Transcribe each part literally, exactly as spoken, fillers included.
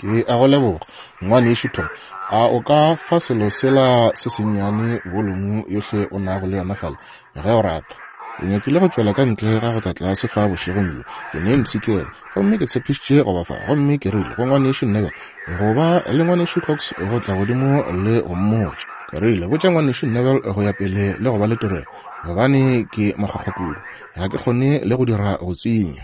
Ke a go leboga, ngwanešu Tom. A o ka fa selo sela se sennyane bolumu yohle o nago le yona fale, ge o rata? Ke nyakile go tšwela ka ntle ga go tla tlase fa bošegong bjo. Ke ne mpshikela, gomme ke tshepišitše go ba fa. Gomme ke rile go ngwanešu Neville, go ba le ngwanešu Cox go tla godimo le go mmotša. Ke rile, botša ngwanešu Neville go ya pele le go ba le tirelo, gobane ke makgwakgwa kudu, ga ke kgone le go dira go tswinya.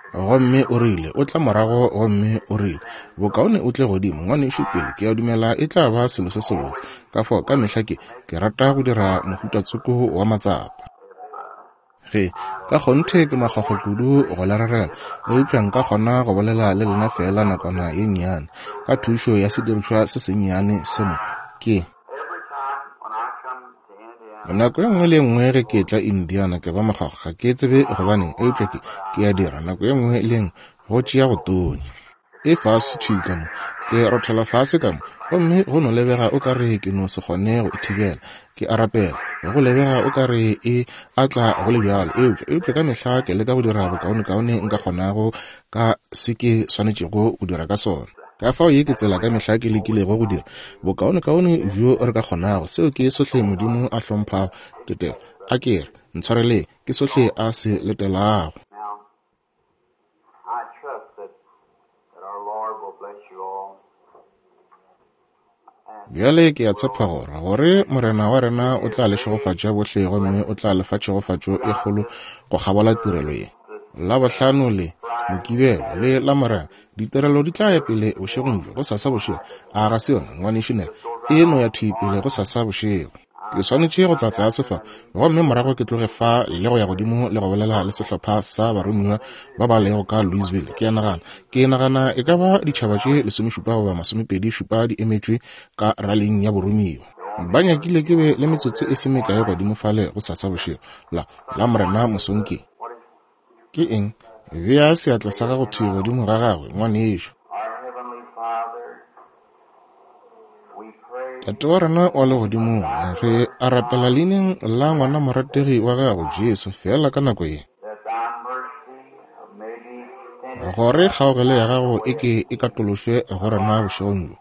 Gomme o rile, o tla morago, gomme o rile, bokaone o tle godimo, ngwanešu, pele. Ke a dumela e tla ba selo se sebotse. Ka fao ka mehla ke, ke rata go dira mohuta tsoko wa matsapa. Ge, ka kgonthe ke makgwakgwa kudu go le rerela, eupša nka kgona go bolela le lena feela nakwana ye nnyane, ka thušo ya sedirišwa se sennyane se mo. Ke nako ye nngwe le ye nngwe ge ke etla Indiana ke ba makgwakgwa, ga ke tsebe gobane, eupša ke, ke a dira nako ye nngwe le ye nngwe, go tšea go tonya. E fase thwi ka mo, ke rothela fase ka mo, gomme go no lebega o ka re ke no se kgone go e thibela. Ke a rapela, go lebega o ka re e a tla go le bjalo, eupša, eupša ka mehla ke leka go dira bokaonekaone nka kgonago ka se ke swanetšego go dira ka sona. Ka fao ye ke tsela ka mehla ke lekilego go dira bokaonekaone bjo re ka kgonago. Seo ke sohle Modimo a hlomphago tetelo. A ke re, ntshwareleng, ke sohle a se letelago. Now, I trust that, that our Lord will bless you all. And Bjale ke a tshepa gore, gore Morena wa rena o tla le šegofatša bohle, gomme o tla le fa tšhegofatšo e kgolo go kgabola tirelo ye. Labohlano le Mokibelo le Lamorena ditirelo di tla ya pele bošegong bjo, gosasa bošego. A ga se yona, ngwanešu Nel? E no ya thwi pele gosasa bošego. Ke swanetše go tla tlase fa, gomme morago ke tloge fa le go ya godimo le go bolela le sehlopha sa baromiwa ba ba lego ka Louisville. Ke a nagana, ke nagana e ka ba ditšhaba tše lesomešupa goba masomepedi šupa di emetšwe ka raling ya boromiwa. Ba nyakile ke be le metsotso e se mekae godimo fale gosasa bošego, la Lamorena mosong. Ke ke eng? Bea seatla sa gago thwi godimo ga gagwe, ngwanešu. our Heavenly Father, we pray Tate wa rena wa legodimong, re a rapela leineng la ngwana morategi wa gago Jesu, feela ka nako ye, that thy mercy may be extended gore kgaogelo ya gago e ke e katološwe go rena bošegong bjo,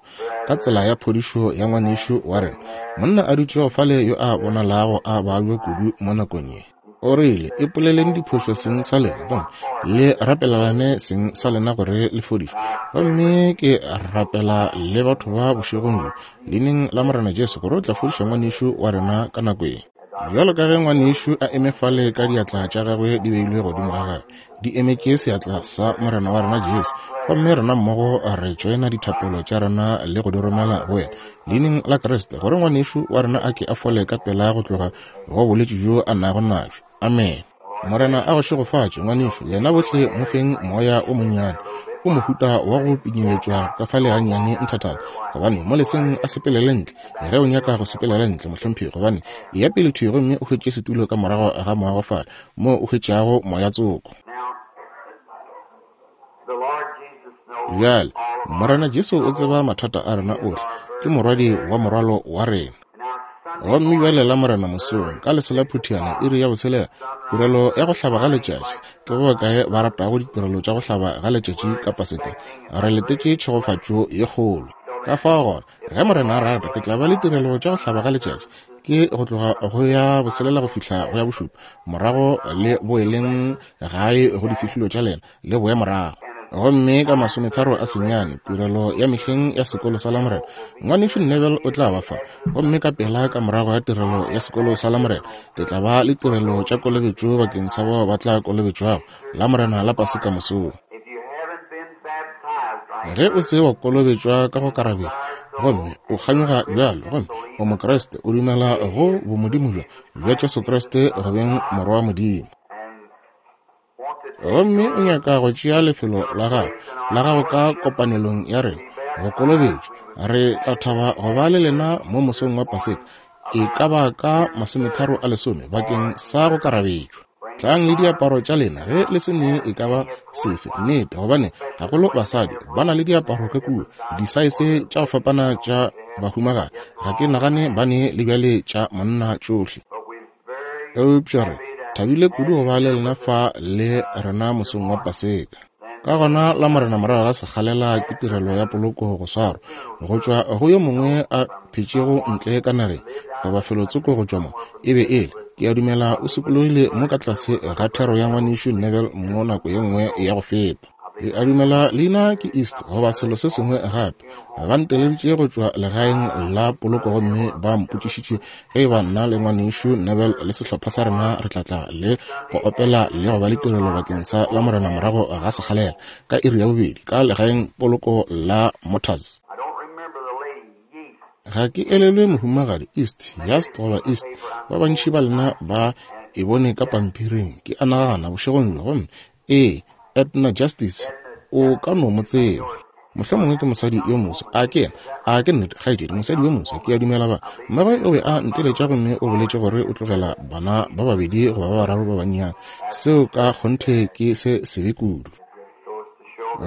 ka tsela ya phodišo ya ngwanešu wa rena, monna a dutšego fale yo a bonalago a babja kudu mo nakong ye. O rile, ipoleleng diphošo seng sa lena, gomme le rapelelane seng sa lena gore le fodišwe. Gomme ke rapela le batho ba bošegong bjo, leineng la Morena Jesu, gore o tla fodiša ngwanešu wa rena ka nako ye. Bjalo ka ge ngwanešu a eme fale ka diatla tša gagwe di beilwe godimo ga gagwe, di emetše seatla sa Morena wa rena Jesu, gomme rena mmogo re tšoena dithapelo tša rena le go di romela go wena, leineng la Kriste, gore ngwanešu wa rena a ke a fole ka pela go tloga go bolwetši bjo a nago nabjo. Amen. Morena a go šegofatše, ngwanešu. Lena bohle mo feng moya o monnyane, o mohuta wa go pinyeletšwa ka fale gannyane nthathana, gobane mo leseng a sepelele ntle. Ge o nyaka go sepelela ntle, mohlomphegi, gobane e ya pele thwi gomme o hwetše setulo ka morago ga moago fale, mo o hwetšago moya tsoko. Now, the Lord Jesus knows Bjale, all of our Morena Jesu o tseba mathata a rena ohle, ke morwadi wa morwalo wa rena. Now, Sunday Gomme bjale Lamorena mosong, ka lesela phuthiana, iri ya botshelela, tirelo ya go hlaba ga letšatši. Ke ba bakae ba ratago ditirelo tša go hlaba ga letšatši ka Paseka? Re letetše tšhegofatšo ye kgolo. Ka fao gona, ge Morena a rata, ke tla ba le tirelo tša go hlaba ga letšatši, ke go tloga go ya boselela go fihla go ya bošupa, morago le boeleng gae go difihlolo tša lena, le boe morago. Gomme ka masometharo a senyane, tirelo ya mehleng ya sekolo sa Lamorena, ngwanešu Neville o tla ba fa. Gomme ka pela ka morago ga tirelo ya sekolo sa Lamorena, ke tla ba le tirelo tša kolobetšo bakeng sa bao ba tla kolobetšwago Lamorena la Paseka mosong. If you haven't been baptized right Ge o se wa kolobetšwa ka go karabela, gomme o kganyoga bjalo, gomme o Mokriste, o dumela go bomodimo bjo bja Jesu Kriste go beng Morwa wa Modimo, and want to take gomme o nyaka go tšea lefelo la gago la gago ka kopanelong ya rena go kolobetšwa, re tla thaba go ba le lena mo mosong wa Paseka, e ka ba ka masometharo a lesome, bakeng sa go karabetšwa. Tlang le diaparo tša lena ge le se ne e ka ba sefe, nnete, gobane gagolo basadi ba na le diaparo ka kua, disaese tša go fapana tša bahumagadi. Ga ke nagane ba ne le bjale tša monna tšohle. But we're very Eupša re thabile kudu go ba le lena fa le rena mosong wa Paseka. Ka gona la Morena morago ga sekgalela ke tirelo ya poloko go swarwa go tšwa go yo mongwe a phetšego ntle ka nageng goba felotsoko go tšwa mo e be e le ke a dumela o sokologile mo ka tlase ga thero ya ngwanešu Neville mo nako ye nngwe ya go feta. Ke a dumela leina ke East goba selo se sengwe gape. Ba nteleditše go tšwa legaeng la poloko gomme ba mpotšišitše ge e ba nna le ngwanešu Neville le sehlopha sa rena re tla tla le go opela le go ba le tirelo bakeng sa la Morena morago ga sekgalela ka iri ya bobedi ka legaeng poloko la Motors. Ga ke elelwe mohumagadi East, Yast goba East, ba bantši ba lena ba e bone ka pampiring, ke a nagana bošegong bjo, gomme ee, Edna Justice, o ka no mo tseba. Mohlomongwe ke mosadi yo moso. A ke yena? A ke nnete, kgaetšedi, mosadi yo moso, ke a dumela ba. Mmagwe o be a nteletša gomme o boletše gore o tlogela bana ba babedi goba ba bararo ba bannyane. Seo ka kgonthe ke se sebe kudu.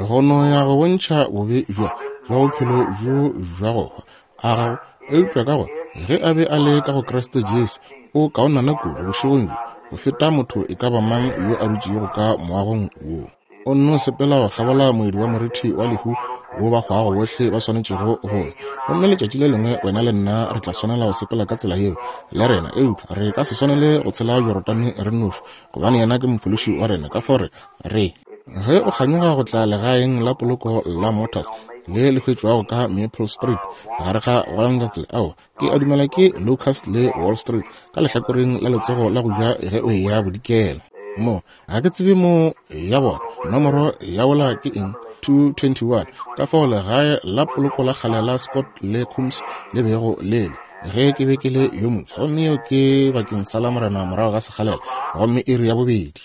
Go no ya go bontšha bobe bjo bja bophelo bjo bja go hwa a gago, eupša ka gore ge a be a le ka go Kriste Jesu, o kaonana kudu bošegong bjo go feta motho e ka ba mang yo a dutšego ka moagong wo. O nno sepela go kgabola moedi wa morithi wa lehu wo ba hwago bohle ba swanetšego go ya. Gomme letšatši le lengwe wena le nna re tla swanela go sepela ka tsela yeo le rena, eupša re ka se swanele go tshela Jorodane re nnoši, gobane yena ke mophološi wa rena. Ka fao re re ge o kganyoga go tla legaeng la poloko la Motors le le hwetšwago ka Maple Street gare ga Walnut, ao ke a dumela ke Locust le Wall Street ka lehlakoreng la letsogo la go ja ge o eya bodikela. Mo ga ke tsebe mo ya bona nomoro ya wola ke eng, two twenty-one. Ka fao legae la poloko la kgale la Scott le Coombs le bego le le ge ke be ke le yo moswa, gomme yeo ke bakeng sa la Morena morago ga sekgalela, gomme iri ya bobedi.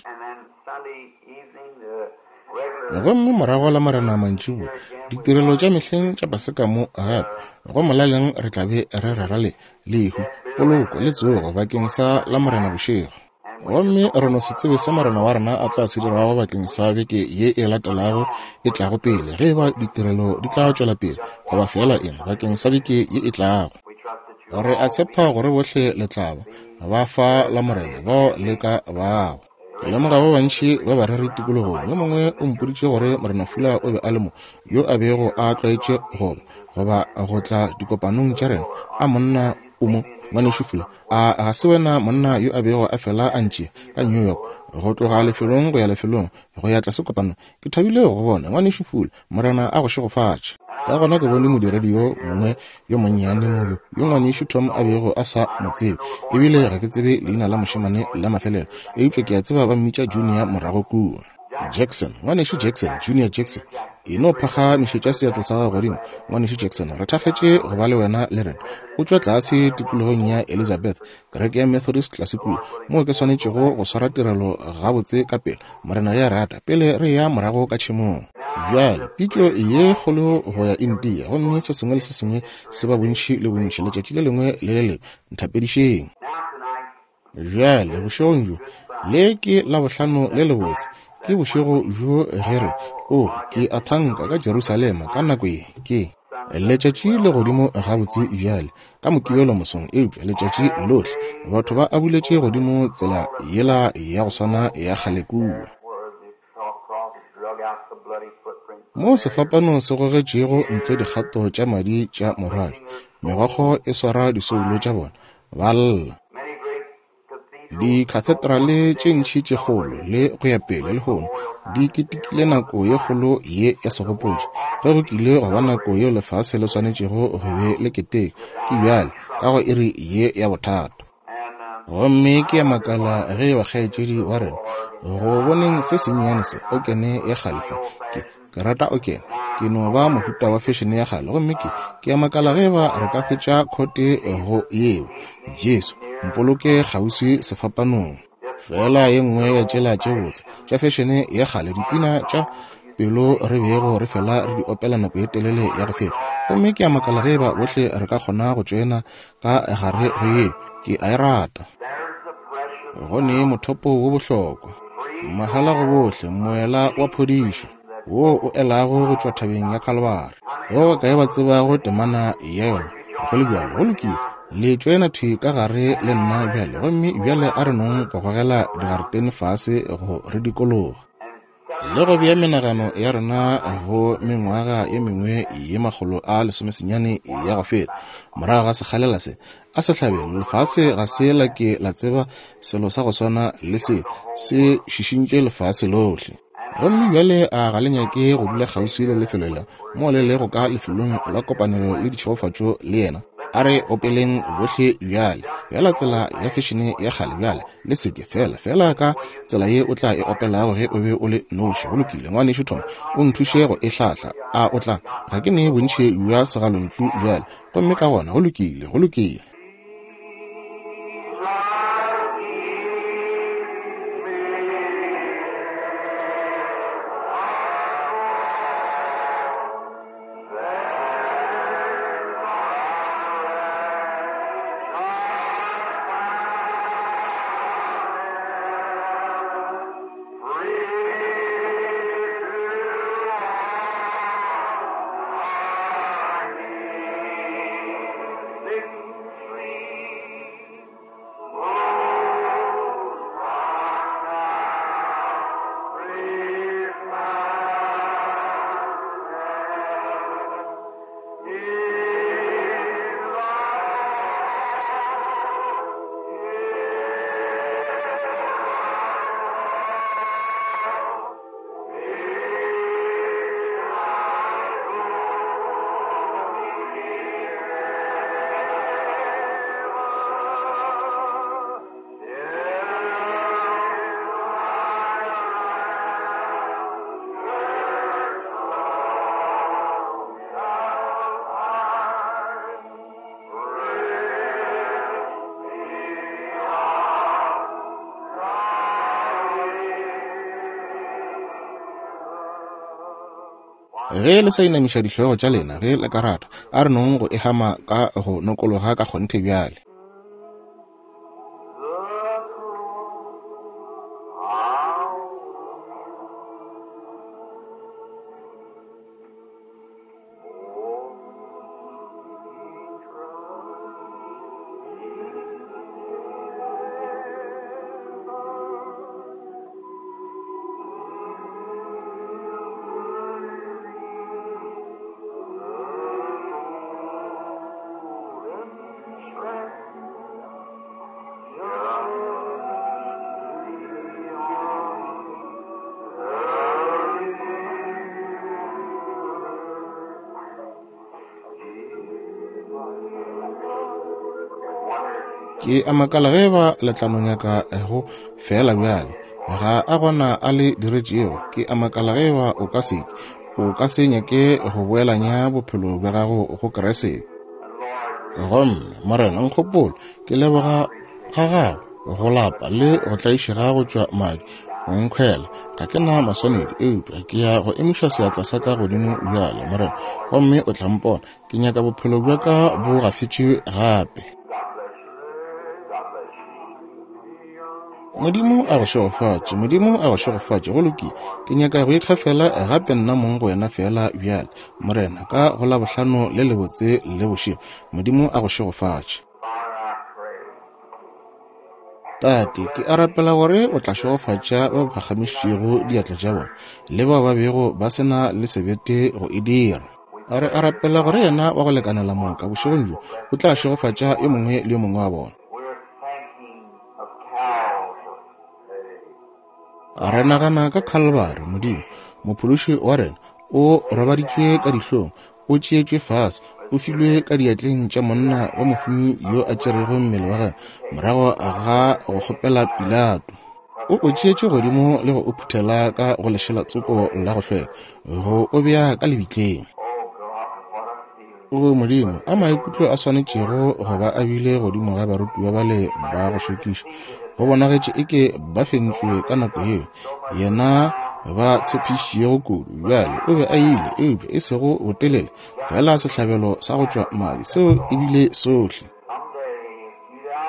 Gomme morago la Morena mantšiboa ditirelo tša mehleng tša Paseka mo gape go molaleng re tla be re rera le lehu, poloko le tsogo bakeng sa la Morena bošego. Gomme re no se tsebe se Morena wa rena a tla se dirago bakeng sa beke ye e latelago e tlago pele, ge e ba ditirelo di tla tšwela pele goba fela eng bakeng sa beke ye e tlago. Re a tshepa gore bohle le tla ba ba fa la Morena bao le ka bago. Ke lemoga ba bantši ba bareri tikologong. Yo mongwe o mpoditše gore Morena Fula o be a le mo, yo a bego a tlwaetše goba goba go tla dikopanong tša rena. A monna o mo, ngwanešu Fula? A ga se wena monna yo a bego a fela a ntšea ka New York go tloga lefelong go ya lefelong go ya tlase kopanong? Ke thabile go bona ngwanešu Fula. Morena a go šegofatše. Ka gona ke bone modiredi yo mongwe yo monnyane mo yo yo ngwanešu Tom a bego a sa mo tsebe, ebile ga ke tsebe leina la mošemane la mafelelo, eupša ke a tseba ba mmitša Junior morago kua. Jackson, ngwanešu Jackson, Junior Jackson, e no phagamišetša seatla sa gago godimo. Ngwanešu Jackson, re thakgetše go ba le wena le rena. O tšwa tlase tikologong ya Elizabeth, kereke ya Methodist tlase kua, moo ke swanetšego go swara tirelo gabotse ka pele, Morena ge a rata, pele re ya morago ka tšhemong. Bjale pitšo ye kgolo go ya India, gomme se sengwe le se sengwe se ba bontši le bontši letšatši le lengwe le le lengwe. Nthapedišeng. Bjale bošegong bjo le ke Labohlano le lebotse, ke bošego bjo ge re o ke a thanka ka Jerusalema ka nako ye ke letšatši le godimo gabotse bjale ka Mokibelo mosong, eupša letšatši lohle batho ba abuletše godimo tsela yela ya go swana ya kgale kua mo sefapano se gogetšego ntle dikgato tša madi tša morwadi, megokgo e swara disoulo tša bona, ba lla. Dikhathedrale tše ntši tše kgolo le go ya pele lehono di ketekile nako ye kgolo ye ya segopotšo. Ge go kile go ba nako yeo lefase le swanetšego go be le keteka, ke bjale ka go iri ye ya bothata. Gomme ke ya makala ge ba kgaetšedi wa rena go boneng se sennyane se okene ya kgale fa. Ke ke rata okene, ke no ba mohuta wa fashion ya kgale, gomme ke ke ya makala ge ba re ka hwetša khote go yeo. Jesu mpoloke kgauswi sefapanong. Fela ye nngwe ya tšela tše botse tša fashion ya kgale, dipina tša pelo re bego re fela re di opela nako ye telele ya go feta. Gomme ke a makala ge ba bohle re ka kgona go tšoena ka gare go yeo. Ke a e rata. Go ne mothopo wo bohlokwa, mahala go bohle, moela wa phodišo wo o elago go tšwa thabeng ya Kalvari. Go kae ba tsebago temana ya yona? Go le bjalo, go lokile. Le tšoena thwi ka gare le nna bjale, gomme bjale a re nong go gogela digaretene fase go re dikologa. Le go bea menagano ya rena go mengwaga ye mengwe ye makgolo a lesomesenyane ya go feta morago ga sekgalela se a sehlabelo, lefase ga se la ke la tseba selo sa go swana le se se šišintše lefase lohle. Gomme bjale a ga le nyake go dula kgauswi le lefelo la mo le lego ka lefelong la kopanelo le ditšhegofatšo le yena. A re opeleng bohle bjale, bjala tsela ya fešene ya kgale bjale, le seke fela fela ka tsela ye o tla e opelago ge o be o le noši. Go lokile, ngwanešu Tom, o nthuše go e hlahla. A o tla? Ga ke ne bontši bja segalontšu bjale. Gomme ka gona go lokile, go lokile. Ge le sa inamiša dihlogo tša lena ge le ka rata, a re nong go e hama ka go nokologa ka kgonthe bjale. Ke a makala ge ba le tla no nyaka go fela bjale. Ga a gona a le diretšego. Ke a makala ge ba o ka se o ka se nyake go boelanya bophelo bja gago go Kriste. Gomme Morena nkgopolo, ke leboga ga gago go lapa le go tlaišega go tšwa madi go nkhwela. Ga ke na maswanedi, eupša ke ya go emiša seatla sa ka godimo bjale, Morena, gomme o tla mpona. Ke nyaka bophelo bja ka bo gafetšwe gape. Modimo a go šegofatše, Modimo a go šegofatše. Go lokile, ke nyaka go ikgafela gape nna mong go wena fela bjale, Morena, ka go la bohlano le lebotse le bošego. Modimo a go šegofatše. Tate, ke a rapela gore o tla šegofatša ba ba phagamišitšego diatla tša bona le bao ba bego ba se na le sebete go e dira. A re a rapela gore yena wa go lekanela moka bošegong bjo o tla šegofatša yo mongwe le yo mongwe wa bona. Re nagana ka Calvary, Modimo, mophološi wa rena, o robaditšwe ka dihlong, o tšeetšwe fase, o filwe ka diatleng tša monna wa mohumi yo a tšerego mmele wa gagwe morago ga go kgopela Pilato. O o tšeetše godimo le go o phuthela ka go lešela tsoko la go hlweka, go o bea ka lebitleng. O Modimo, a maikutlo a swanetšego go ba a bile godimo ga barutiwa bale ba go šokiša. Go bonagetše eke ba fentšwe ka nako yeo yena ba tshepišitšego kudu. Bjale o be a ile, eupša e sego botelele, fela sehlabelo sa go tšwa madi seo e bile sohle.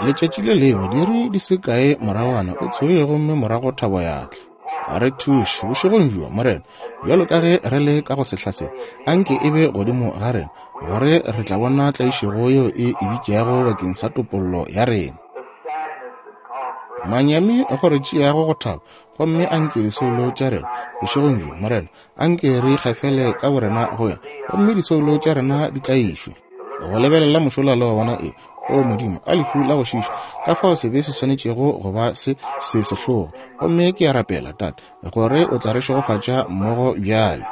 Letšatši le lengwe diiri di se kae moragwana o tsogile gomme morago thabo ya tla. A re thuše bošegong bjo, Morena, bjalo ka ge re le ka go sehla se, anke e be godimo ga rena, gore re tla bona tlaišego yeo e e bitšago bakeng sa topollo ya rena. Manyami go re tšeago go thaba, Gomme anke disoulo tša rena bošegong bjo, Morena, anke re ikgafele ka borena go wena, gomme disoulo tša rena di tlaišwe go lebelela mošola le go bona e. O Modimo, a lehu la go šiša, ka fao sebe se swanetšego go ba se se sehlogo. Gomme ke a rapela, Tate, gore o tla re šegofatša mmogo bjale.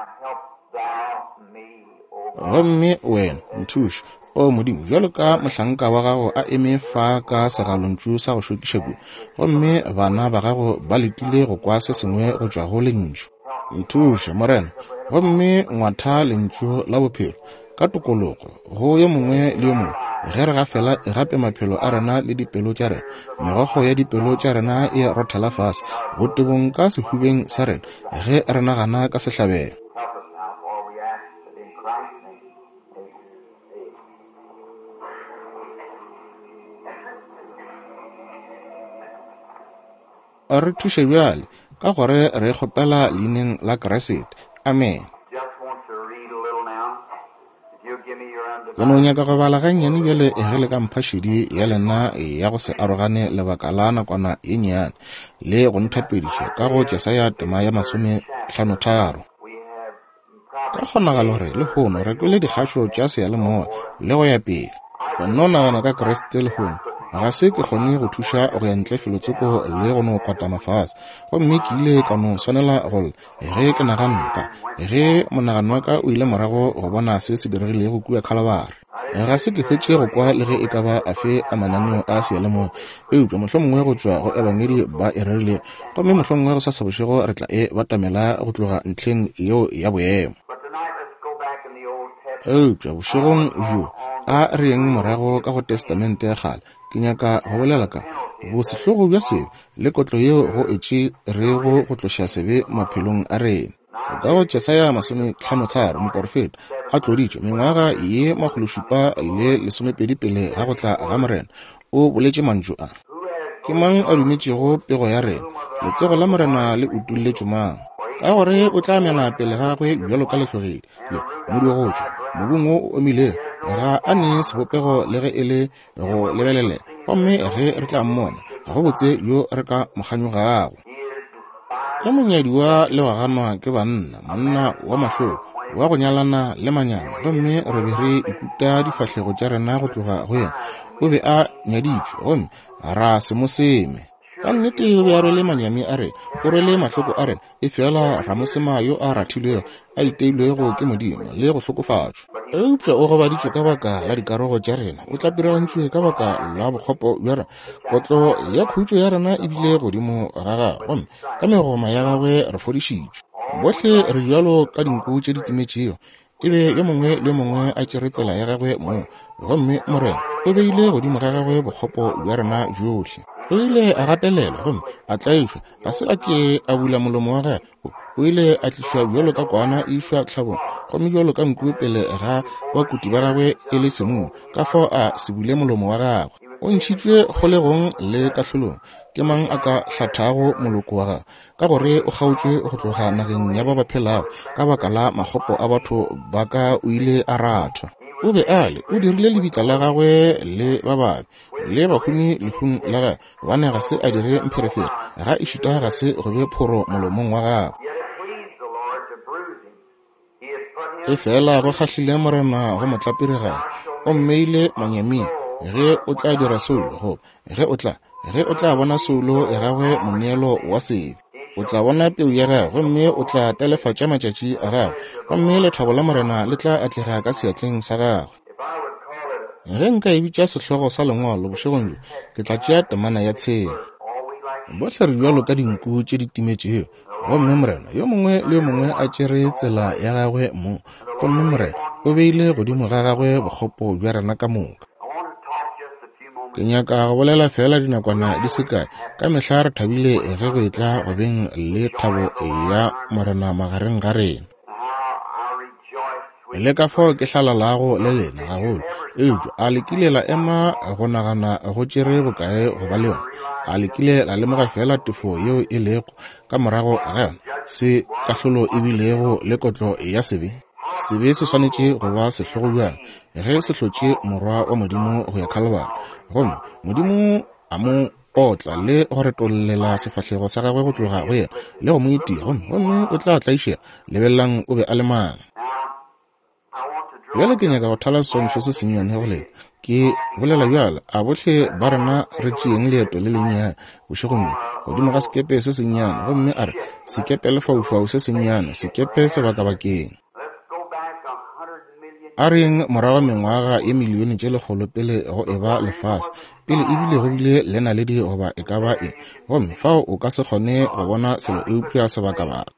Gomme wena nthuše, o Modimo, bjalo ka mohlanka wa gago a eme fa ka segalontšu sa go šokiša kudu, gomme bana ba gago ba letile go kwa se sengwe go tšwa go lentšu. Nthuše, Morena, gomme ngwatha lentšu la bophelo ka tokologo go yo mongwe le yo mongwe ge re gafela gape maphelo a rena le dipelo tša rena. Megokgo ya dipelo tša rena e rothela fase botebong ka sehubeng sa rena ge re nagana ka sehlabelo. Help us now, for we ask it in Christ's name. Amen. Re thuše bjale, ka gore re kgopela leineng la Kriste. Amen. Just want to read a little now. If you'll give me your Ke no undivided nyaka go bala gannyane bjale ge le ka mpha šedi ya lena ya go se arogane lebaka la nakwana ye nnyane le go nthapediša ka go Jesaya tema ya masomehlanotharo. We have Ka probably kgonagalo gore lehono re kwele dikgašo tša seyalemoya le go ya pele. Go no nagana ka Kriste lehono ga se ke kgone go thuša go ya ntle felotsoko le go no kwatama fase. Gomme ke ile ka no swanela go lla ge ke naganne ka ge monagano wa ka o ile morago go bona se se diregilego kua Khalabari. Ga se ke hwetše go kwa le ge e ka ba afe a mananeo a seyalemoya, eupša mohlomongwe go tšwa go ebangedi ba e rerile, gomme mohlomongwe go sasa bošego re tla e batamela go tloga ntlheng yeo ya boemo. But tonight let's go back in the Old Testament. Eupša bošegong bjo a re yeng morago ka go Testamente ya kgale. Ke nyaka go bolela ka bosehlogo bja sebe le kotlo yeo go e tšerego go tloša sebe maphelong a rena. Ka go Jesaya masomehlanotharo, moporofeta a tloditšwe mengwaga ye makgološupa le lesomepedi pele ga go tla ga Morena, o boletše mantšu a. Ke mang a dumetšego pego ya rena? Letsogo la Morena le utolletšwe mang? Ka gore o tla mela pele ga gagwe bjalo ka lehlogedi le modi wa go tšwa mobung wo o omilego, ga a ne sebopego le ge e le go lebelelega, gomme ge re tla mmona ga go botse yo re ka mo kganyogago. He is despised Ge monyadiwa le wa ganwa ke banna, monna wa mahloko wa go nyalana le manyami, gomme re be re ikuta difahlego tša rena go tloga go yena. O be a nyaditšwe gomme ra se mo seme. Ka nnete o be a rwele manyami a rena, o rwele mahloko a rena, efela ra mo sema yo a rathilwego, a iteilwego ke Modimo le go hlokofatšwa. Eupša o gobaditšwe ka baka la dikarogo tša rena, o tlapiragantšwe ka baka la bokgopo bja rena. Kotlo ya khutšo ya rena e bile godimo ga gagwe, gomme ka megoma ya gagwe re fodišitšwe. Bohle re bjalo ka dinku tše di timetšego, e be yo mongwe le yo mongwe a tšere tsela ya gagwe mong, gomme Morena o beile godimo ga gagwe bokgopo bja rena bjohle. O ile a gatelelwa gomme a tlaišwa, ga se a ke a bula molomo wa gagwe. O ile a tlišwa bjalo ka kwana e išwa tlhabong, gomme bjalo ka nku pele ga bakuti ba gagwe e le semumu, ka fao a se bule molomo wa gagwe. O ntšhitšwe kgolegong le kahlolong. Ke mang a ka hlathago moloko wa gagwe? Ka gore o kgaotšwe go tloga nageng ya ba ba phelago, ka baka la makgopo a batho ba ka o ile a rathwa. O be a le, o dirile lebitla la gagwe le ba babe le bahumi lehung la gagwe, gobane ga se a dire mpherefere, ga ešita ga se go be phoro molomong wa gagwe. Yet it pleased the Lord to bruise him. He hath put him Efela go kgahlile Morena go mo tlapiriganya, o mmeile manyaming. Ge o tla dira soulo, goba ge o tla ge o tla bona soulo ya gagwe moneelo wa sebe, o tla bona peu ya gagwe, gomme o tla telefatša matšatši a gagwe, gomme lethabo la Morena le tla atlega ka seatleng sa gagwe. If I would call it Ge nka e bitša sehlogo sa lengwalo bošegong bjo, ke tla tšea temana ya tshela. all we like Bohle re bjalo ka dinku tše di timetšego, gomme Morena yo mongwe le yo mongwe a tšere tsela ya gagwe mong, gomme Morena o beile godimo ga gagwe bokgopo bja rena ka moka. I want to talk just a few moments. Ke nyaka go bolela fela dinakwana di se kae. Ka mehla re thabile ge go etla go beng le thabo ya Morena magareng ga rena. How I rejoice with Le ka fao ke hlalalago le lena gagolo. Eupša a le kile la ema go nagana go tšere bokae go ba le yona? A le kile la lemoga fela tefo yeo e lego ka morago ga yona, se kahlolo e bilego le kotlo ya sebe? Sebe se swanetše go ba sehlogo bjang ge se hlotše morwa wa Modimo go ya Khalabari, gomme Modimo a mo otla le go retollela sefahlego sa gagwe go tloga go yena le go mo itia, gomme gomme o tla tlaišega. Lebelelang o be a le mang. Bjale ke nyaka go thala seswantšho se sennyane go lena. Ke bolela bjale, a bohle ba rena re tšeeng leeto le lennyane bošegong bjo godimo ga sekepe se sennyane, gomme a re sekepe lefaufau se sennyane, sekepe sebakabakeng. A reng morago mengwaga ye milione tše lekgolo pele go eba lefase, pele ebile go bile le naledi goba e ka ba eng, gomme fao o ka se kgone go bona selo eupša sebakabaka.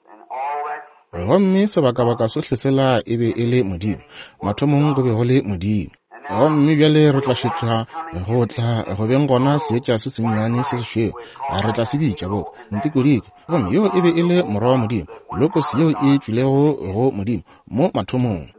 Gomme sebakabaka sohle sela e be e le Modimo. Mathomong go be go le Modimo. Gomme bjale re tla šetša go tla go beng gona seetša se sennyane se sešweu, re tla se bitša boka ntikodiko. Gomme yeo e be e le morwa wa Modimo, Logos yeo e tšwilego go Modimo mo mathomong.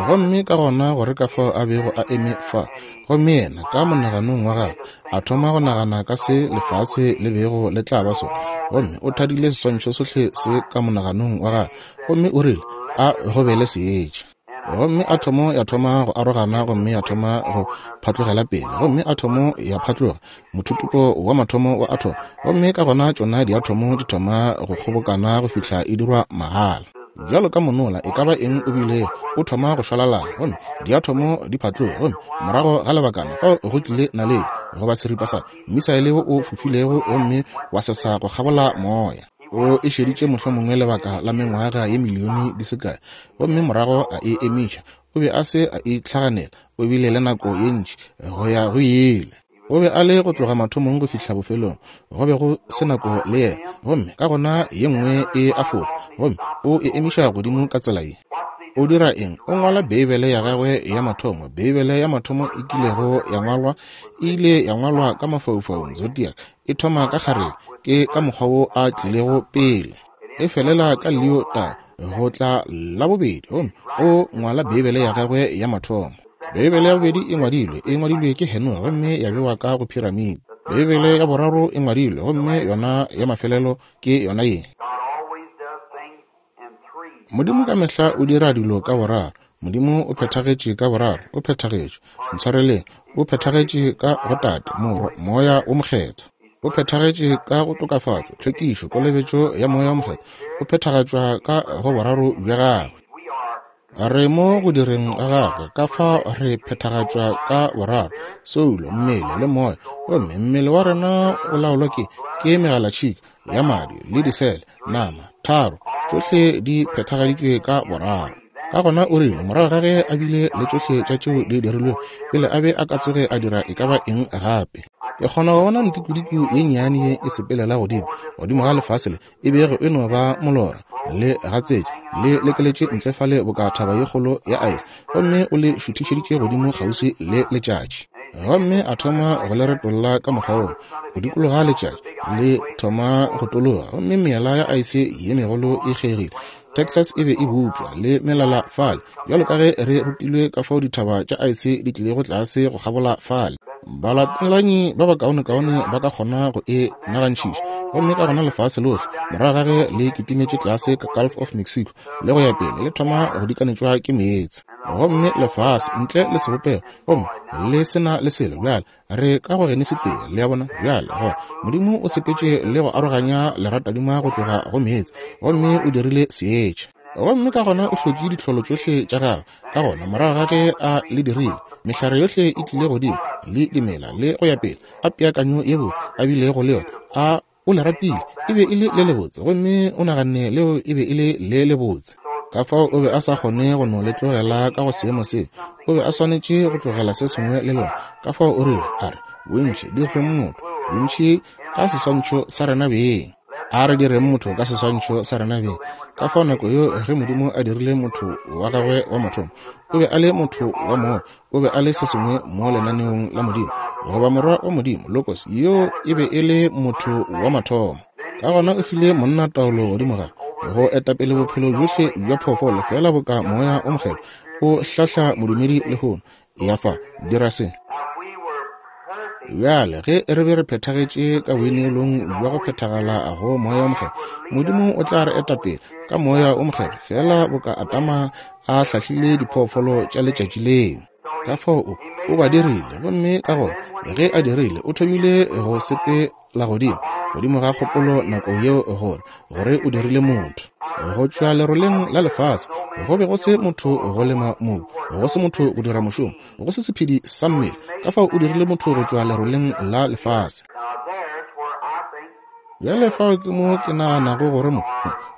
Gomme ka gona gore ka fao a bego a eme fa, gomme yena ka monaganong wa gagwe a thoma go nagana ka se lefase le bego le tla ba sona, gomme o thadile seswantšho sohle se ka monaganong wa gagwe, gomme o rile a go be le seetša. Gomme athomo ya thoma go arogana, gomme ya thoma go phatlogela pele, gomme athomo ya phatloga, mothutupo wa mathomo wa athomo, gomme ka gona tšona diathomo di thoma go kgobokana go fihla e dirwa magala. Bjalo ka monola e ka ba eng o bile o thoma go šwalalana, gomme diathomo di phatloga, gomme morago ga lebakana fao go tlile naledi goba seripa sa misaele wo o fofilego gomme wa sesa go kgabola moya. O e šeditše mohlomongwe lebaka la mengwaga ye milione di se kae, gomme morago a e emiša. O be a se a itlhaganela, o bile le nako ye ntši go ya go ile. O be a le go tloga mathomong go fihla bofelong, go be go se nako le yena. Gomme ka gona ye nngwe e a fofa, gomme o e emiša godimo ka tsela ye. O dira eng? O ngwala Beibele ya gagwe ya mathomo. Beibele ya mathomo e kilego ya ngwalwa e ile ya ngwalwa ka mafaufaung, zodiac. E thoma ka kgarebe, ke ka mokgwa wo a tlilego pele. E felela ka Leo ta go tla la bobedi, gomme o ngwala Beibele ya gagwe ya mathomo. Beibele ya bobedi e ngwadilwe, e ngwadilwe ke Henoge gomme ya bewa ka go piramidi. Beibele ya boraro e ngwadilwe, gomme yona ya mafelelo ke yona ye. Modimo ka mehla o dira dilo ka boraro. Modimo o phethagetše ka boraro, o phethagetše, ntshwareleng, o phethagetše ka go Tate, Morwa, Moya o Mokgethwa. O phethagetše ka go tokafatšo, tlhwekišo, kolobetšo ya Moya o Mokgethwa. O phethagatšwa ka go boraro bja gagwe. Re mo go direng ga gagwe, ka fa re phethagatšwa ka boraro, soulo, mmele le moya. Gomme mmele wa rena o laolwa ke ke megalatšhika ya madi le disele, nama, tharo, tšohle di phethagaditšwe ka boraro. Ka gona o rile morago ga ge a bile le tšohle tša tšeo di dirilwego pele a be a ka tsoge a dira e ka ba eng gape. Ke kgona go bona ntikodiko ye nnyane ye e sepelela godimo godimo ga lefase le e bego e no ba molora le gatsetše le lekeletše ntle fale boka thaba ye kgolo ya ice, gomme o le šuthišeditše godimo kgauswi le letšatši. Gomme a thoma go le retolla ka mokgwa woo go dikologa letšatši, le thoma go tologa, gomme meela ya ice ye megolo e kgegile. Texas e be e bopša le melala fale, bjalo ka ge re rutilwe ka fao dithaba tša ice di tlilego tlase go kgabola fale. Balatelanyi ba bakaonekaone ba ka kgona go e nagantšhiša, gomme ka gona lefase lohle morago ga ge le kitimetše tlase ka Gulf of Mexico le go ya pele le thoma go dikanetšwa ke meetse. Gomme lefase ntle le sebopego, gomme le sena le selo. Bjale re ka go Genesi tee, le a bona bjale gore Modimo o sepetše le go aroganya leratadima go tloga go meetse, gomme o dirile seetša. Gomme ka gona o hlotše ditlholo tšohle tša gagwe. Ka gona morago ga ge a le dirile, mehlare yohle e tlile godimo le dimela le go ya pele, a peakanyo ye botse a bilego le yona, a o le ratile, e be e le le lebotse, gomme o naganne leo e be e le le lebotse. Ka fao o be a sa kgone go no le tlogela ka go seemo seo, o be a swanetše go tlogela se sengwe le lona. Ka fao o rile, a re bontši di go motho, bontši ka seswantšho sa rena beng. A re direng motho ka seswantšho sa rena beng. Ka fao nako yeo ge Modimo a dirile motho wa gagwe wa mathomo, o be a le motho wa moya, o be a le se sengwe mo lenaneong la Modimo, goba morwa wa Modimo, Logos, yo e be e le motho wa mathomo. Ka gona o file monna taolo godimo ga go etapele bophelo bjohle bja phoofolo, fela boka Moya o Mokgethwa o hlahla modumedi lehono. Ya fa, dira se. Bjale ge re be re phethagetše ka boineelong bja go phethagala go Moya o Mokgethwa, Modimo o tla re etapele ka Moya o Mokgethwa, fela boka Adama a hlahlile diphoofolo tša letšatši leo. Ka fao o O ba dirile, gomme ka gona ge a dirile, o thomile go sepela godimo, godimo ga kgopolo nako yeo gore, gore o dirile motho. Go tšwa leroleng la lefase, go be go se motho go lema mobu, go se motho go dira mošomo, go se sephedi sa mmele. Ka fao o dirile motho go tšwa leroleng la lefase. Bjale fao ke mo ke naganago gore mo,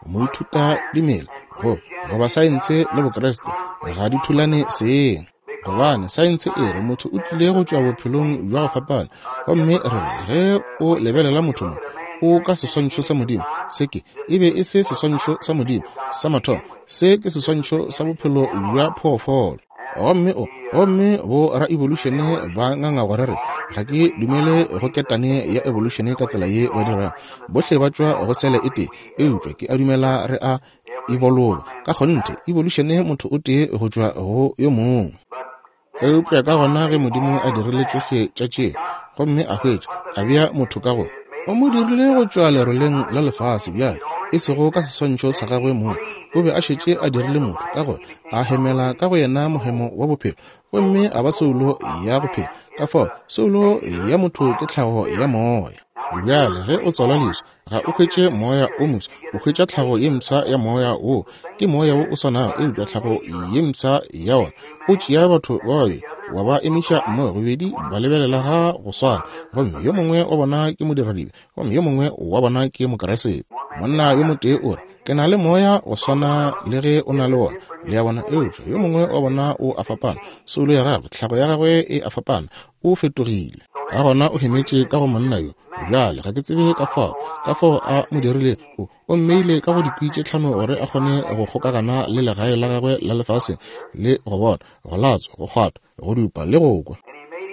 moithuta dimela, go, goba saense le Bokreste ga di thulane seng. Gobane saense e re motho o tlile go tšwa bophelong bja go fapana, gomme re re ge o lebelela motho mo, o ka seswantšho sa Modimo. Se ke e be e se seswantšho sa Modimo sa mathomo, se ke seswantšho sa bophelo bja phoofolo. Gomme o, gomme bo ra evolution ba nganga gore re ga ke dumele go ketane ya evolution ka tsela ye ba dirang. Bohle ba tšwa go sele e tee, eupša ke a dumela re a evolva. Ka kgonthe, evolution motho o tee go tšwa go yo mongwe. Eupša ka gona ge Modimo a dirile tšohle tša tše, gomme a hwetša, a bea motho ka go, o mo dirile go tšwa leroleng la lefase bjale, e sego ka seswantšho sa gagwe mong. O be a šetše a dirile motho, ka gore a hemela ka go yena mohemo wa bophelo, gomme a ba soulo ya go phela. Ka fao soulo ya motho ke tlhago ya moya. Bjale ge o tswala leswa, ga o hwetše moya o mofsa, o hwetša tlhago ye mpsha ya moya wo. Ke moya wo o swanago, eupša tlhago ye mpsha ya wona. O tšea batho ba babedi wa ba emiša mmogo, bobedi ba lebelela ga go swana, gomme yo mongwe wa bona ke modiradibe, gomme yo mongwe wa bona ke Mokeresete. Monna yo motee o re, ke na le moya go swana le ge o na le wona, le ya bona, eupša yo mongwe wa bona o a fapana. Soulo ya gagwe, tlhago ya gagwe e a fapana, o fetogile. Ka gona o hemetše ka go monna yo. Bjale ga ke tsebe ka fao, ka fao a mo dirile, o, o mmeile ka go dikwi tše tlhano gore a kgone go kgokagana le legae la gagwe la lefase, le go bona, go latswa, go kgwatha, go dupa le go kwa.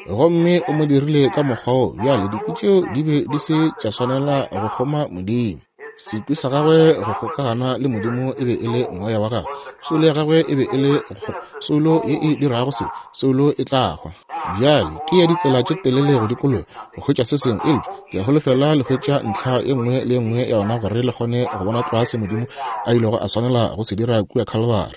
Gomme o mo dirile ka mokgwa wo. Bjale dikwi tšeo di be di se tša swanela go kgoma Modimo. Sekwi sa gagwe go kgokagana le Modimo e be e le moya wa gagwe. Soulo ya gagwe e be e le soulo ye e dirago se, soulo e tla hwa. Bjale ke ya ditsela tše telele go dikologa go hwetša se sengwe, eupša ke a holofela le hwetša ntlha e nngwe le e nngwe ya yona gore le kgone go bona tlwa se Modimo a ilego a swanela go se dira kua Calvary.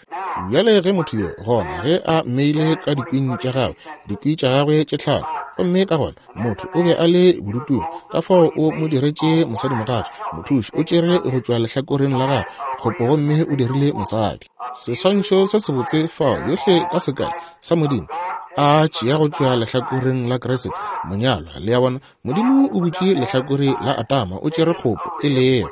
Bjale ge motho yo gona ge a mmeile ka dikwing tša gagwe, dikwi tša gagwe tše tlhano, gomme ka gona motho o be a le bodutung, ka fao o mo diretše mosadimogatša, mothuši o tšere go tšwa lehlakoreng la gagwe kgopo, gomme o dirile mosadi. Seswantšho se sebotse fao yohle ka sekai sa Modimo a tšea go tšwa lehlakoreng la Kriste monyalwa. Le ya bona, Modimo o butše lehlakore la Adama, o tšere kgopo e lego.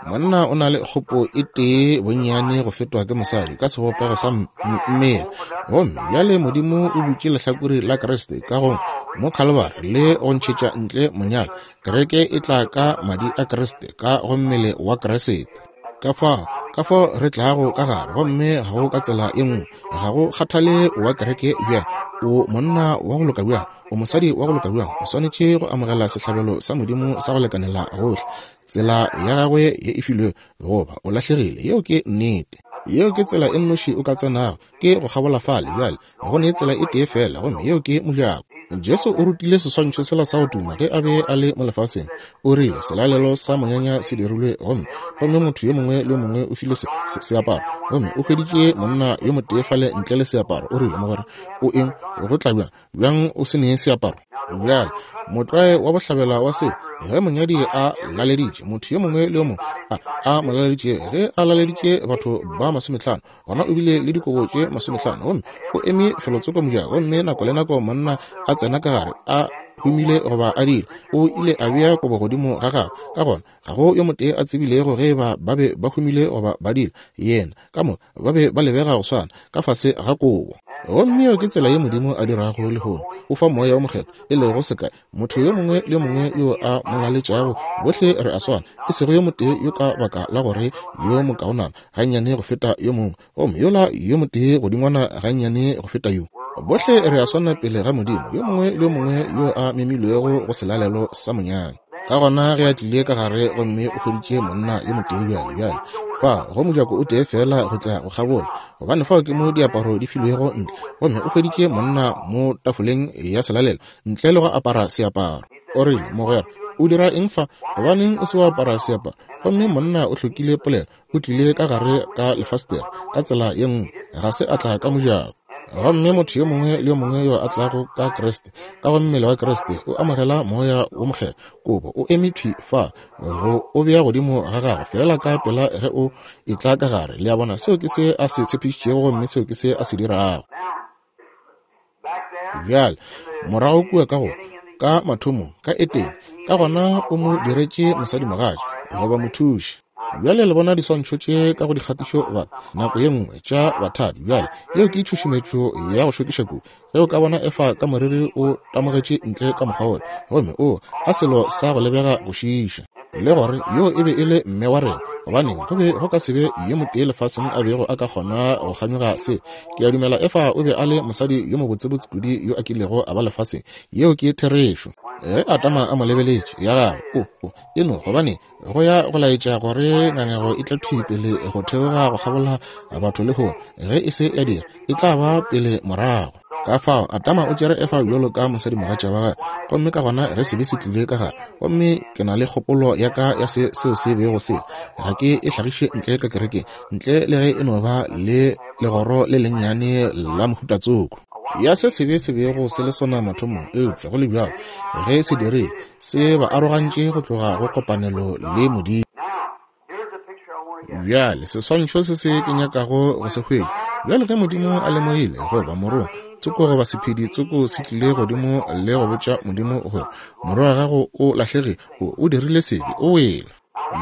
Monna o na le kgopo e tee bonnyane go fetwa ke mosadi ka sebopego sa mmele. Gomme bjale Modimo o butše lehlakore la Kriste ka go mo Calvary le go ntšhetša ntle monyalwa. Kereke e tla ka madi a Kriste, ka go mmele wa Kriste. Ka fao, ka fao re tlago ka gare, gomme ga go ka tsela e nngwe. Ga go kgathale wa kereke bjang, o monna wa go loka bjang, o mosadi wa go loka bjang, o swanetše go amogela sehlabelo sa Modimo sa go lekanela gohle. Tsela ya gagwe ye e filwego, goba o lahlegile. Yeo ke nnete. Yeo ke tsela e nnoši o ka tsenago, ke go kgabola fale. Bjale go ne tsela e tee fela, gomme yeo ke mojako. Jesu o rutile seswantšho sela sa go tuma ge a be a le mo lefaseng. O rile selalelo sa monyanya se dirilwe, gomme gomme motho yo mongwe le yo mongwe o file se, se, seaparo, gomme o hweditše monna yo motee fale ntle le seaparo. O rile, mogwera, o eng go tla bjang bjang o se nee seaparo? Bjale motlwae wa bohlabela wa se, ge monyadi a laleditše motho yo mongwe le yo mongwe a, a mo laleditše, ge a laleditše batho ba masometlhano, gona o bile le dikobo tše masometlhano, gomme o eme felotsoko mojako, gomme nako le nako monna a tsena ka gare a humile goba a dile, o ile a bea kobo godimo ga gagwe. Ka gona ga go yo motee a tsebilego ge ba ba be ba humile goba ba dile, yena ka moka ba be ba lebega go swana ka fase ga kobo. Gomme yeo ke tsela ye Modimo a dirago lehono. O fa moya o mokgethwa, e lego sekai. Motho yo mongwe le yo mongwe yo a mo laletšago, bohle re a swana, e sego yo motee yo ka baka la gore yo mokaonana gannyane go feta yo mongwe, gomme yola yo motee godingwana gannyane go feta yo. Bohle re a swana pele ga Modimo, yo mongwe le yo mongwe yo a memilwego go selalelo sa monyanya. Ka gona ge a tlile ka gare gomme o hweditše monna yo motee bjale bjale fa go mojako o tee fela go tla go kgabola, gobane fao ke mo diaparo di filwego ntle, gomme o hweditše monna mo tafoleng ya selalelo ntle le go apara seaparo. O rile, mogwera, o dira eng fa? Gobaneng o se wa apara seaparo? Gomme monna o hlokile polelo, o tlile ka gare ka lefastere ka tsela ye nngwe, ga se a tla ka mojako. Gomme motho yo mongwe le yo mongwe yo a tlago ka Kriste, ka go mmele wa Kriste, o amogela Moya wo Mokgethwa. Kobo o eme thwi fa go o bea godimo ga gago feela ka pela ge o etla ka gare. Le a bona, seo ke se a se tshepišitšego gomme seo ke se a se dirago. Bjale morago kua ka go ka mathomong ka Etene, ka gona o mo diretše mosadimogatša goba mothuši. Bjale le bona diswantšho tše ka go dikgatišo ba nako ye nngwe tša bathadi. Bjale yeo ke tšhušumetšo ya go šokiša kudu. Ge o ka bona Efa ka moriri o tamogetše ntle ka mokgwa wola, gomme o a selo sa go lebega go šiiša, le gore yo e be e le mme wa rena, gobaneng go be go ka se be yo motee lefaseng a bego a ka kgona go kganyoga se. Ke a dumela Efa o be a le mosadi yo mobotsebotse kudu yo a kilego a ba lefaseng. Yeo ke therešo. Ge Adama a mo lebeletše, ya gagwe o o e no gobane go ya go laetša gore ngangego e tla thwi pele go theoga go kgabola batho lehono. Ge e se ya dira, e tla ba pele morago. Ka fao Adama o tšere Efa bjalo ka mosadimogatša wa gagwe, gomme ka gona ge sebe se tlile ka gare, gomme ke na le kgopolo ya ka ya se seo se bego se, ga ke e hlagiše ntle ka kerekeng, ntle le ge e no ba le legoro le lennyane la mohutatsoko ya se sebe se bego se le sona mathomong. Eupša go le bjalo, ge se dirile, se ba arogantše go tloga go kopanelo le Modimo. Bjale seswantšho se se ke nyakago go se hwetša. Bjale ge Modimo a lemogile goba morongwa tsoko goba sephedi tsoko se tlile godimo le go botša Modimo gore morwa wa gago o lahlegile, o, o dirile sebe, o wele.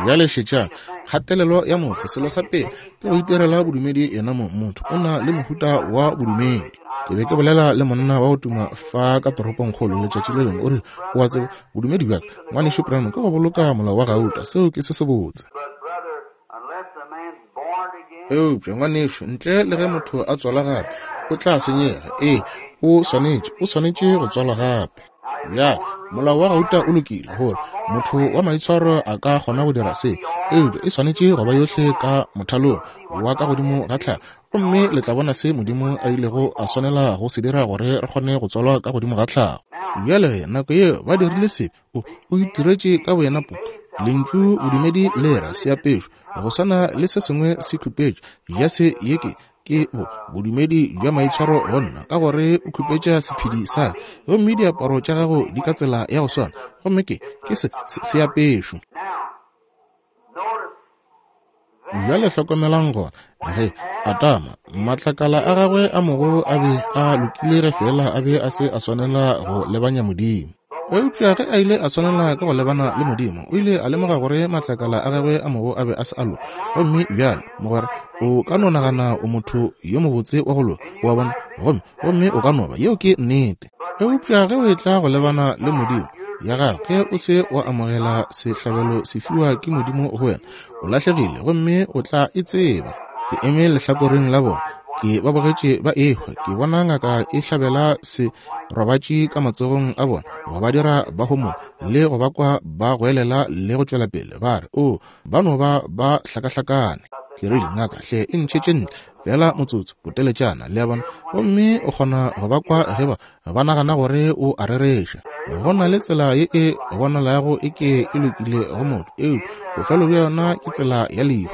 Bjale šetša kgatelelo ya motho. Selo sa pele ke go itirela bodumedi yena mo. Motho o na le mohuta wa bodumedi. Ke be ke bolela le monna wa go tuma fa ka toropongkgolo letšatši le lengwe, o re, o a tseba bodumedi bjaka ngwanešu Branham ke go boloka molao wa gauta. Seo ke se sebotse. Eupša ngwanešu, ntle le ge motho a tswalwa gape, o tla senyega. Ee, o swanetše, o swanetše go tswalwa gape. Bjale molao wa gauta o lokile gore motho wa maitshwaro a ka kgona go dira se, eupša e swanetše go ba yohle ka mothalong wa ka godimo ga tlhago. Gomme le tla bona se Modimo a ilego a swanela go se dira gore re kgone go tswalwa ka godimo ga tlhago. Bjale ge nako yeo ba dirile sebe, o o itiretše ka boyena po lentšu bodumedi le ra seapešo go swana le se sengwe se khupetša ya se ye ke ke bo bodumedi bja maitshwaro go nna, ka gore o khupetša sephedi sa gomme diaparo tša gago di ka tsela ya go swana, gomme ke ke se seapešo. Bjale hlokomelang gona ge Adama matlakala a gagwe a mogo a be a lokile ge fela a be a se a swanela go lebanya Modimo. Eupša ge a ile a swanela ke go lebana le Modimo, o ile a lemoga gore matlakala a gagwe a mogo a be a se a loka. Gomme bjale mogwera, o ka no nagana o motho yo mobotse wa go loka, wa bona, gomme gomme o ka no ba, yeo ke nnete. Eupša ge o etla go lebana le Modimo ya gago, ge o se wa amogela sehlabelo se fiwa ke Modimo go wena, o lahlegile gomme o tla e tseba. Ke eme lehlakoreng la bona, ke ba bogetše ba ehwa, ke bona ngaka e hlabela se robatše ka matsogong a bona, go ba dira ba homola le go ba kwa ba goelela le go tšwela pele ba re, o ba no ba ba hlakahlakane. Ke rile, ngaka hle e ntšhetše ntle fela motsotso boteletšana, le a bona. Gomme o kgona go ba kwa ge ba ba nagana gore o a rereša. Go na le tsela ye e bonalago e ke e lokile go motho, eupša bofelo bja yona ke tsela ya lehu.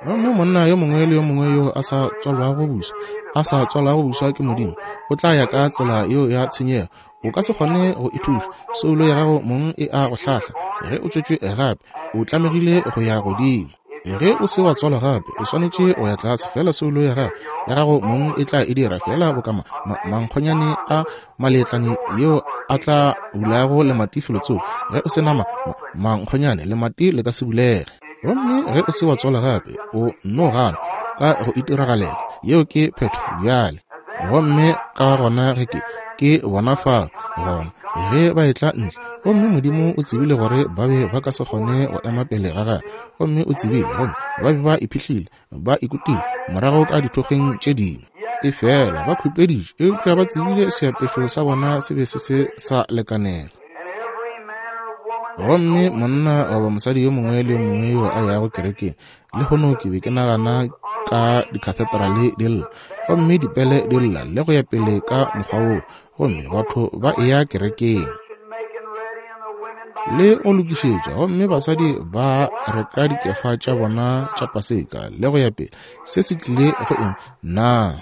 Gomme monna yo mongwe le yo mongwe yo a sa tswalwago buswa, a sa tswalwago buswa ke Modimo, o tla ya ka tsela yeo ya tshenyego. O ka se kgone go ithuša, soulo ya gago mong e a go hlahla. Ge o tswetšwe gape, o tlamegile go ya godimo. Ge o se wa tswalwa gape, o swanetše go ya tlase, fela soulo ya gago ya gago mong e tla e dira fela boka ma, ma, mankgonyane a maletlane yeo a tla bulago lemati felotsoko. Ge o se na ma, ma, mankgonyane, lemati le ka se bulege. Gomme ge o se wa tswalwa gape, o no gana ka go itiragalela. Yeo ke phetho bjale. Gomme ka gona ge ke ke bona fa gona ge ba etla ntle, gomme Modimo o tsebile gore ba be ba ka se kgone go ema pele ga gagwe, gomme o tsebile gomme ba be ba iphihlile, ba ikutile morago ka dithokgeng tše dingwe. E fela ba khupeditše, eupša ba tsebile seapešo sa bona se be se se sa lekanela. Gomme monna goba mosadi yo mongwe le yo mongwe yo a yago kerekeng lehono, ke be ke nagana ka dikhatheterale di lla, gomme dipele di lla le go ya pele ka mokgwa woo, gomme batho ba eya kerekeng le go lokišetša, gomme basadi ba reka dikefa tša bona tša Paseka le go ya pele. Se se tlile go eng? Na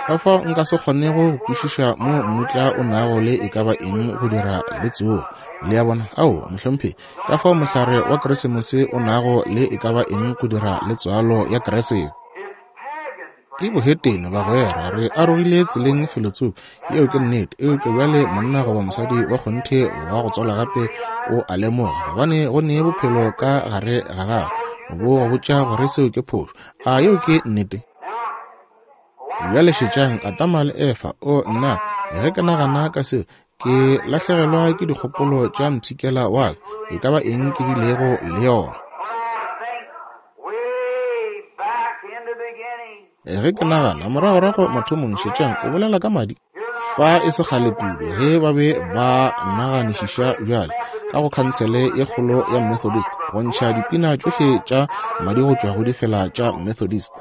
Ka fao nka se kgonego go kwešiša mo mmutla o nago le e ka ba eng go dira le tsogo. Le a bona? Ao, mohlomphegi, ka fao mohlare wa Keresemose o nago le e ka ba eng go dira le tswalo ya Keresete. Ke bohetene, bagwera, re arogile tseleng felotsoko. Yeo ke nnete. Eupša bjale monna goba mosadi wa kgonthe wa go tswalwa gape o a lemoga, gobane go ne bophelo ka gare ga gagwe bo go botša gore seo ke phošo. A yeo ke nnete? Bjale šetšang Adama le Efa. O nna, ge ke nagana ka seo, ke lahlegelwa ke dikgopolo tša mpshikela wa ka, e ka ba eng ke bilego le yona. Ge ke nagana moragorago mathomong, šetšang, o bolela ka madi. Fa e se kgale kudu ge ba be ba naganišiša bjale ka go khansele ye kgolo ya Methodist go ntšha dipina tšohle tša madi go tšwa go difela tša Methodist.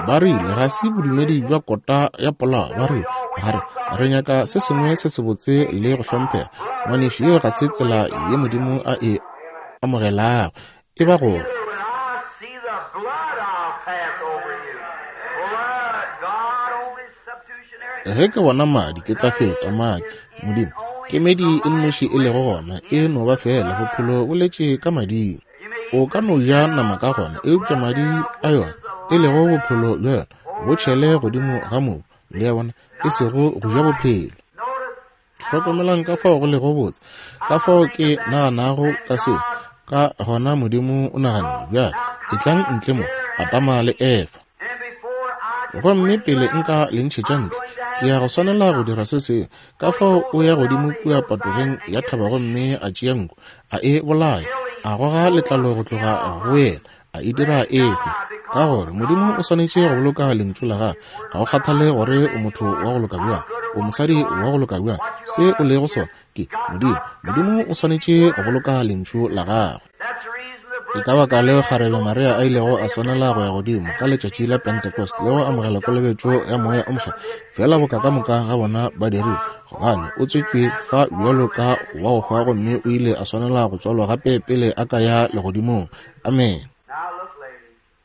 Ba rile ga se bodumedi bja kota ya polao. Ba rile gare re nyaka se sengwe se sebotse le go hlomphega. Ngwanešu, yeo ga se tsela ye Modimo a e amogelago. E ba gore ge ke bona madi ke tla feta madi. Modimo kemedi e nnoši e lego gona e no ba fela bophelo bo letše ka mading. O ka no ja nama ka gona, eupša madi a yona e lego bophelo bja yona bo tšhele godimo ga mobu. Le a bona, e sego go ja bophelo. Hlokomelang ka fao go lego botse, ka fao ke naganago ka seo. Ka gona Modimo o naganne, bjale etlang ntle mo, Adama le Efa. Gomme pele nka le ntšhetša ntle, ke ya go swanela go dira se sengwe. Ka fao o ya godimo kua patogeng ya thaba gomme a tšea nku, a e bolaya, a goga letlalo go tloga go yena, a e dira e hwe. Ka gore Modimo o swanetše go boloka lentšu la gagwe. Ga go kgathale gore o motho wa go loka bjang, o mosadi wa go loka bjang, se o lego sona ke Modimo. Modimo o swanetše go boloka lentšu la gagwe. Ke ka baka leo kgarebe Maria a ilego a swanela go ya godimo ka letšatši la Pentecost le go amogela kolobetšo ya moya o mokgethwa, fela boka ka moka ga bona ba dirile, gobane o tswetšwe fa bjalo ka wa go hwa gomme o ile a swanela go tswalwa gape pele a ka ya legodimong. Amen.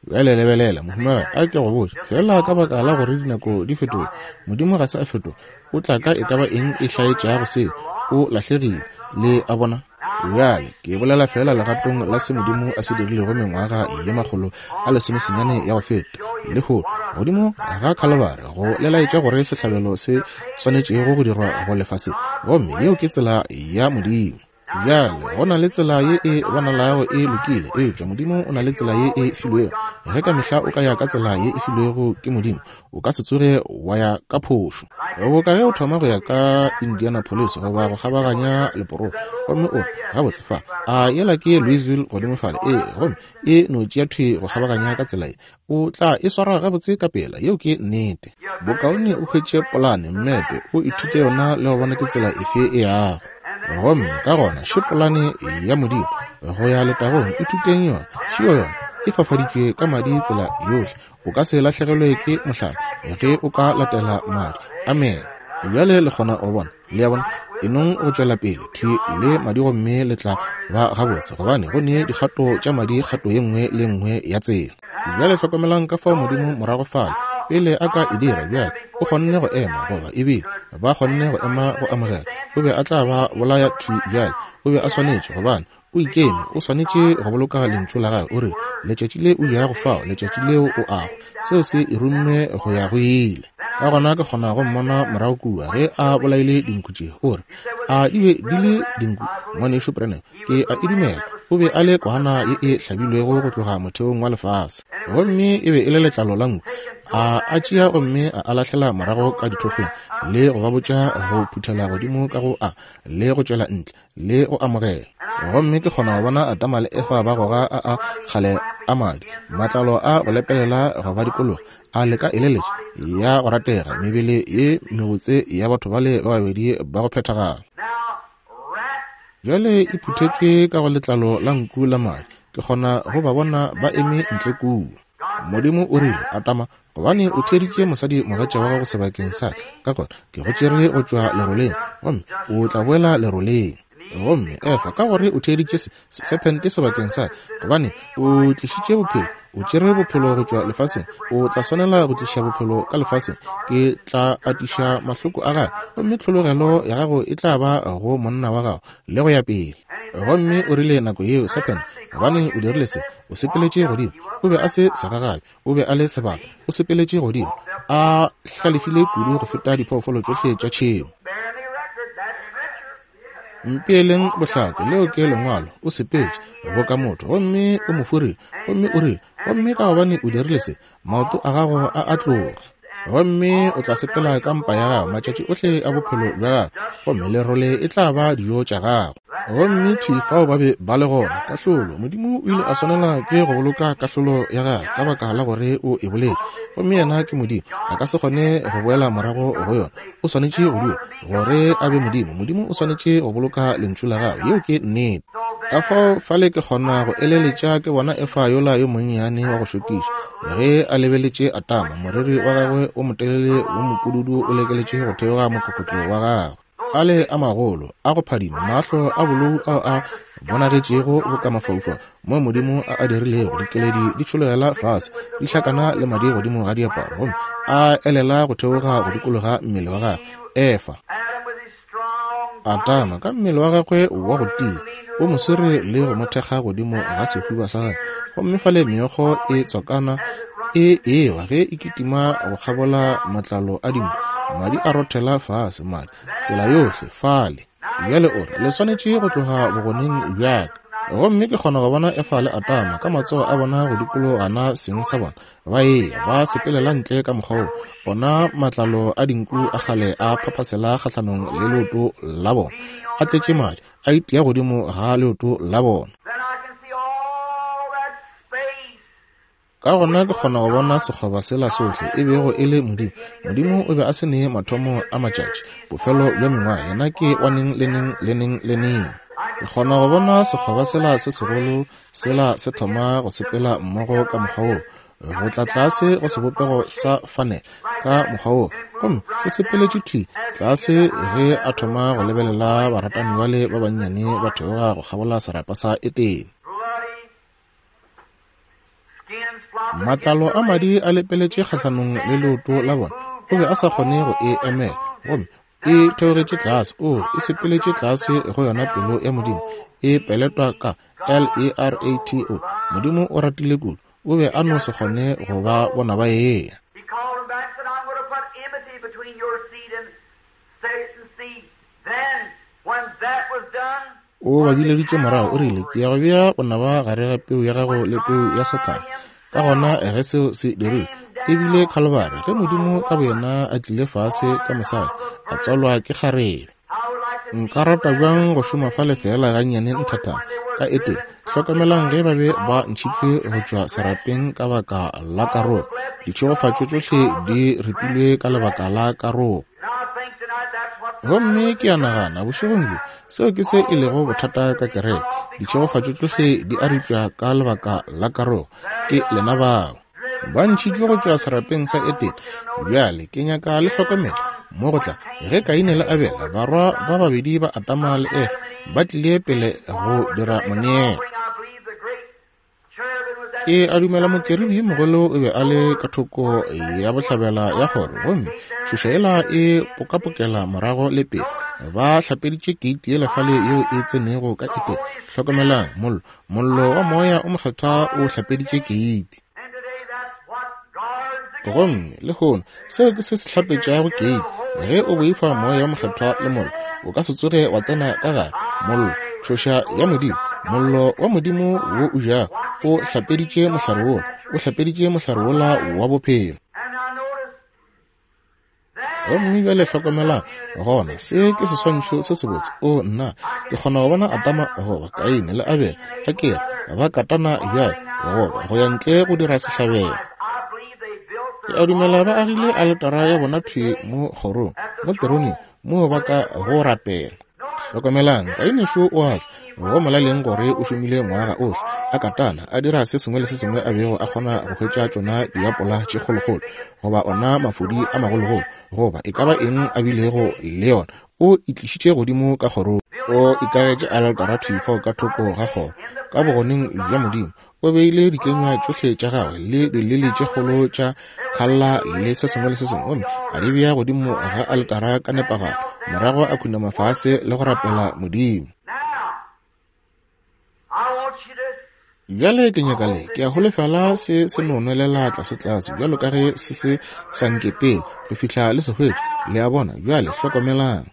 Bjale lebelela, mohumagadi, a ke go botše, fela ka baka la gore dinako di fetoga, Modimo ga se a fetoga. O tla ka e ka ba eng e hlaetšago seo, o lahlegile. Le a bona? Bjale ke bolela fela legatong la se Modimo a se dirilego mengwaga ye makgolo a lesomesenyane ya go feta lehono godimo ga Khalibari, go le laetša gore sehlabelo se swanetšego go dirwa go lefase, gomme yeo ke tsela ya Modimo. Bjale go na le tsela ye e bonalago e lokile, eupša Modimo o na le tsela ye e filwego. Ge ka mehla o ka ya ka tsela ye e filwego ke Modimo, o ka se tsoge wa ya ka phošo. Boka ge o thoma go ya ka Indianapolis goba go kgabaganya leporogo, gomme o re, gabotse fa, a yela ke Louisville godimo fale, ee, gomme e no tšea thwi go kgabaganya ka tsela ye, o tla e swara gabotse ka pela. Yeo ke nnete. Bokaone o hwetše polane, mmepe, o ithute yona le go bona ke tsela efe e yago. Gomme ka gona še polane ya Modimo go ya letagong, ithuteng yona. Šeo yona e fafaditšwe ka madi tsela yohle. O ka se lahlegelwe ke mohlala ge o ka latela madi. Amen. Bjale le kgona go bona. Le a bona? E nong go tšwela pele thwi le madi gomme le tla ba gabotse, gobane go ne dikgato tša madi kgato ye nngwe le nngwe ya tsela. Bjale hlokomelang ka fao Modimo morago fale pele a ka e dira. Bjale o kgonne go ema, goba ebile ba kgonne go ema go amogela, o be a tla ba bolaya thwi bjale. O be a swanetše, gobane o ikeme, o swanetše go boloka lentšu la gagwe. O re, letšatši le o jago fao, letšatši leo o ago, seo se e rumme go ya go ile. Ka gona ke kgona go mmona morago kua ge a bolaile dinku tše. O re, a di be di le dinku, ngwanešu Branham? Ke a e dumela. O be a le kwana ye e hlabilwego go tloga motheong wa lefase, gomme e be e le letlalo la nku. A a tšea gomme a a lahlela morago ka dithokgweng, le go ba botša go phuthela godimo ka go a, le go tšwela ntle, le go amogela. Gomme ke kgona go bona Adama le Efa ba goga a a kgale a madi, matlalo a go lepelela go ba dikologa, a leka eleletša ya go ratega mebele ye mebotse ya batho bale ba babedi ba go phethagala. Bjale e phuthetšwe ka go letlalo la nku la madi. Ke kgona go ba bona ba eme ntle kua. Modimo o rile, Adama, gobane o theeditše mosadi mogatša wa gago sebakeng sa ka, gona ke go tšere go tšwa leroleng, gomme o tla boela leroleng. Gomme Efa, ka gore o theeditše sephente sebakeng sa, gobane o tlišitše bophelo, o tšere bophelo go tšwa lefaseng, o tla swanela go tliša bophelo ka lefaseng. Ke tla atiša mahloko a gago, gomme tlhologelo ya gago e tla ba go monna wa gago, le go ya pele. Gomme o rile nako yeo, sephente, gobane o dirile se, o sepeletše godimo. O be a se segagabi, o be a le sebata. O sepeletše godimo, a hlalefile kudu go feta diphoofolo tšohle tša tšhemo. Mpeeleng bohlatse, leo ke lengwalo. O sepetše boka motho, gomme o mo furile, gomme o rile, gomme ka gobane o dirile se, maoto a gago a a tloga, gomme o tla sepela ka mpa ya gago matšatši ohle a bophelo bja gago, gomme lerole e tla ba dijo tša gago. Gomme thwi fao ba be ba le gona, kahlolo. Modimo o ile a swanela ke go boloka kahlolo ya gagwe ka baka la gore o e boletše, gomme yena ke Modimo, a ka se kgone go boela morago go yona. O swanetše go dula gore a be Modimo. Modimo o swanetše go boloka lentšu la gagwe, yeo ke nnete. Ka fao fale ke kgona go eleletša ke bona Efa yola yo monnyane wa go šokiša ge a lebeletše Atama, moriri wa gagwe o motelele wo mopududu o lekeletše go theoga mokokotlo wa gagwe, ale a magolo a go phadima, mahlo a bolou ao a bonagetšego boka mafaufau mo Modimo a a dirilego, dikeledi di tšhologela fase di hlakana le madi godimo ga diaparo, gomme a elela go theoga go dikologa mmele wa gagwe. Efa, Atama ka mmele wa gagwe wa go tia o mo swere le go mo thekga godimo ga sehuba sa gagwe, gomme fale meokgo e tswakana e ewa ge e kitima go kgabola matlalo a dinku, madi a rothela fase, madi tsela yohle fale. Bjale o re, le swanetše go tloga bogoneng bja ka. Gomme ke kgona go bona Efa le Atama ka matsogo a bona go dikologana seng sa bona, ba eya ba sepelela ntle ka mokgwa wo, ona matlalo a dinku a kgale a phaphasela kgahlanong le leoto la bona, a tletše madi, a itia godimo ga leoto la bona. Ka gona ke kgona go bona sekgoba sela sohle e bego e le Modimo. Modimo o be a se ne mathomo a matšatši, bofelo bja mengwaga, yena ke wa neng le neng le neng le neng. Ke kgona go bona sekgoba sela se segolo sela se thoma go sepela mmogo ka mokgwa wo, go tla tlase go sebopego sa fanele ka mokgwa wo, gomme se sepeletše thwi tlase ge a thoma go lebelela baratani bale ba bannyane ba theoga go kgabola serapa sa Etene. Matlalo a madi a lepeletše kgahlanong le leoto la bona, o be a sa kgone go e emela, gomme e theogetše tlase. O e sepeletše tlase go yona pelo ya Modimo, e peletwa ka L E R A T O. Modimo o ratile kudu, o be a no se kgone go ba bona ba eya. O ba bileditše morago, o rile, ke ya go bea bonaba gare ga peu ya gago le peu ya Sathane. Ka gona ge seo se dirile, e bile Khalibari, ge Modimo ka boyena a tlile fase ka mosadi, a tswalwa ke kgarebe. Nka rata bjang go šoma fale fela gannyane nthathana ka Etene. Hlokamelang ge ba be ba ntšhitšwe go tšwa serapeng ka baka la karogo, ditšhegofatšo tšohle di ripilwe ka lebaka la karogo. Gomme ke a nagana bošegong bjo seo ke se e lego bothata ka kereke, ditšhegofatšo tšohle di a ripša ka lebaka la karogo. Ke lena bao ba ntšhitšwe go tšwa serapeng sa Etene. Bjale ke nyaka le hlokomela mo go tla ge Kaine le Abele, barwa ba babedi ba Adama le Efa, ba tlile pele go dira moneelo. Ke a dumela mokerubi mogolo o be a le ka thoko ya bohlabela ya kgoro, gomme tšhoša yela e pokapokela morago le pele. Ba hlapeditše keiti yela fale yeo e tsenego ka Etene. Hlokomelang, mollo, mollo wa moya o mokgethwa o hlapeditše keiti. Gomme lehono seo ke se se hlapetšago keiti. Ge o boifa moya wa mokgethwa le mollo, o ka se tsoge wa tsena ka gare. Mollo, tšhoša ya Modimo, mollo wa Modimo wo o jago, o hlapeditše mohlare wola, o hlapeditše mohlare wola wa bophelo. Gomme bjale hlokomelang gona, se ke seswantšho se sebotse. O nna, ke kgona go bona Adama goba Kaine le Abele ga ke re ba katana bjale goba go ya ntle go dira sehlabelo. Ke a dumela ba agile aletara ya bona thwi mo kgorong, mo teroneng, moo ba ka go rapela. Hlokomelang, Kaine šo o a tla, go molaleng gore o šomile ngwaga ohle a katana, a dira se sengwe le se sengwe a bego a kgona go hwetša tšona diapola tše kgolokgolo, goba ona mafodi a magologolo, goba e ka ba eng a bilego le yona, o itlišitše godimo ka kgorong. O ikagetše aletara thwi fao ka thoko ga kgoro, ka bogoneng bja Modimo. O beile dikenywa tšohle tša gagwe le dilili tše kgolo tša kgalla le se sengwe le se sengwe, gomme a di bea godimo ga aletara ka nepagalo. Morago a khunama fase le go rapela Modimo. Bjale ke nyaka le, ke a holofela se se no nwelela tlase-tlase bjalo ka ge se se sa nke pele go fihla le se hwetša. Le a bona? Bjale hlokomelang.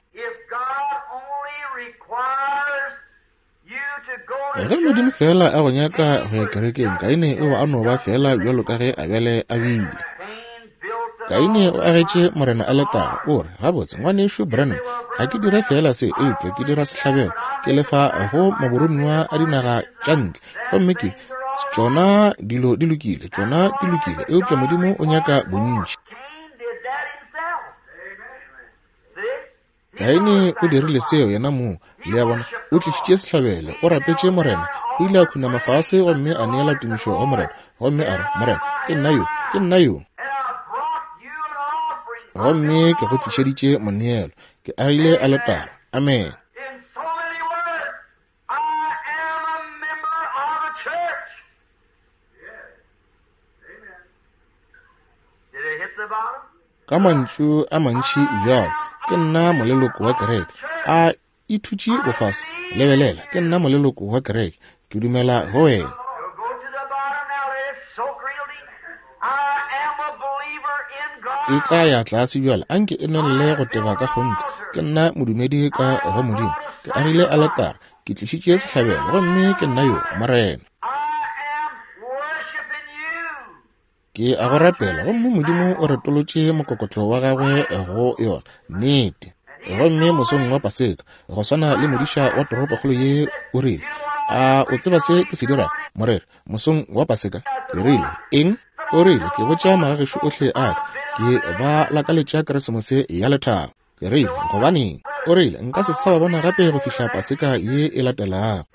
Ge Modimo fela a go nyaka go ya kerekeng, Kaine o be a no ba fela bjalo ka ge Abele a bile. Kaine o agetše Morena aletara. O re, gabotse, ngwanešu Branham, ga ke dire fela se, eupša ke dira sehlabelo, ke lefa go maboromiwa a dinaga tša ntle. Gomme ke tšona dilo di lokile, tšona di lokile, eupša Modimo o nyaka bontši. Kaine o dirile seo yena mong. Le a bona, o tlišitše sehlabelo, o rapetše Morena, o ile a khunama fase gomme a neela tumišo go Morena, gomme a re, Morena, ke nna yo, ke nna yo. Gomme ke go tlišeditše moneelo, ke agile aletara. Amen. Ka mantšu a mantši bjalo, ke nna moleloko wa kereke. A ithutše bofase, lebelela, ke nna moleloko wa kereke, ke dumela go wena. E tla ya tlase bjale, anke e nelle go teba ka kgonthe. Ke nna modumedi ka go Modimo, ke agile aletara, ke tlišitše sehlabelo, gomme ke nna yo, Morena. Ke a go rapela, gomme Modimo o retolotše mokokotlo wa gagwe go yona. Nnete. Gomme mosong wa Paseka, go swana le modiša wa toropokgolo ye o rile, a o tseba se ke se dirago, moreri, mosong wa Paseka? Ke rile, eng? O rile, ke botša magagešo ohle a ka, ke ba lakaletša Keresemose ya lethabo. Ke rile, gobaneng? O rile, nka se sa ba bona gape go fihla Paseka ye e latelago.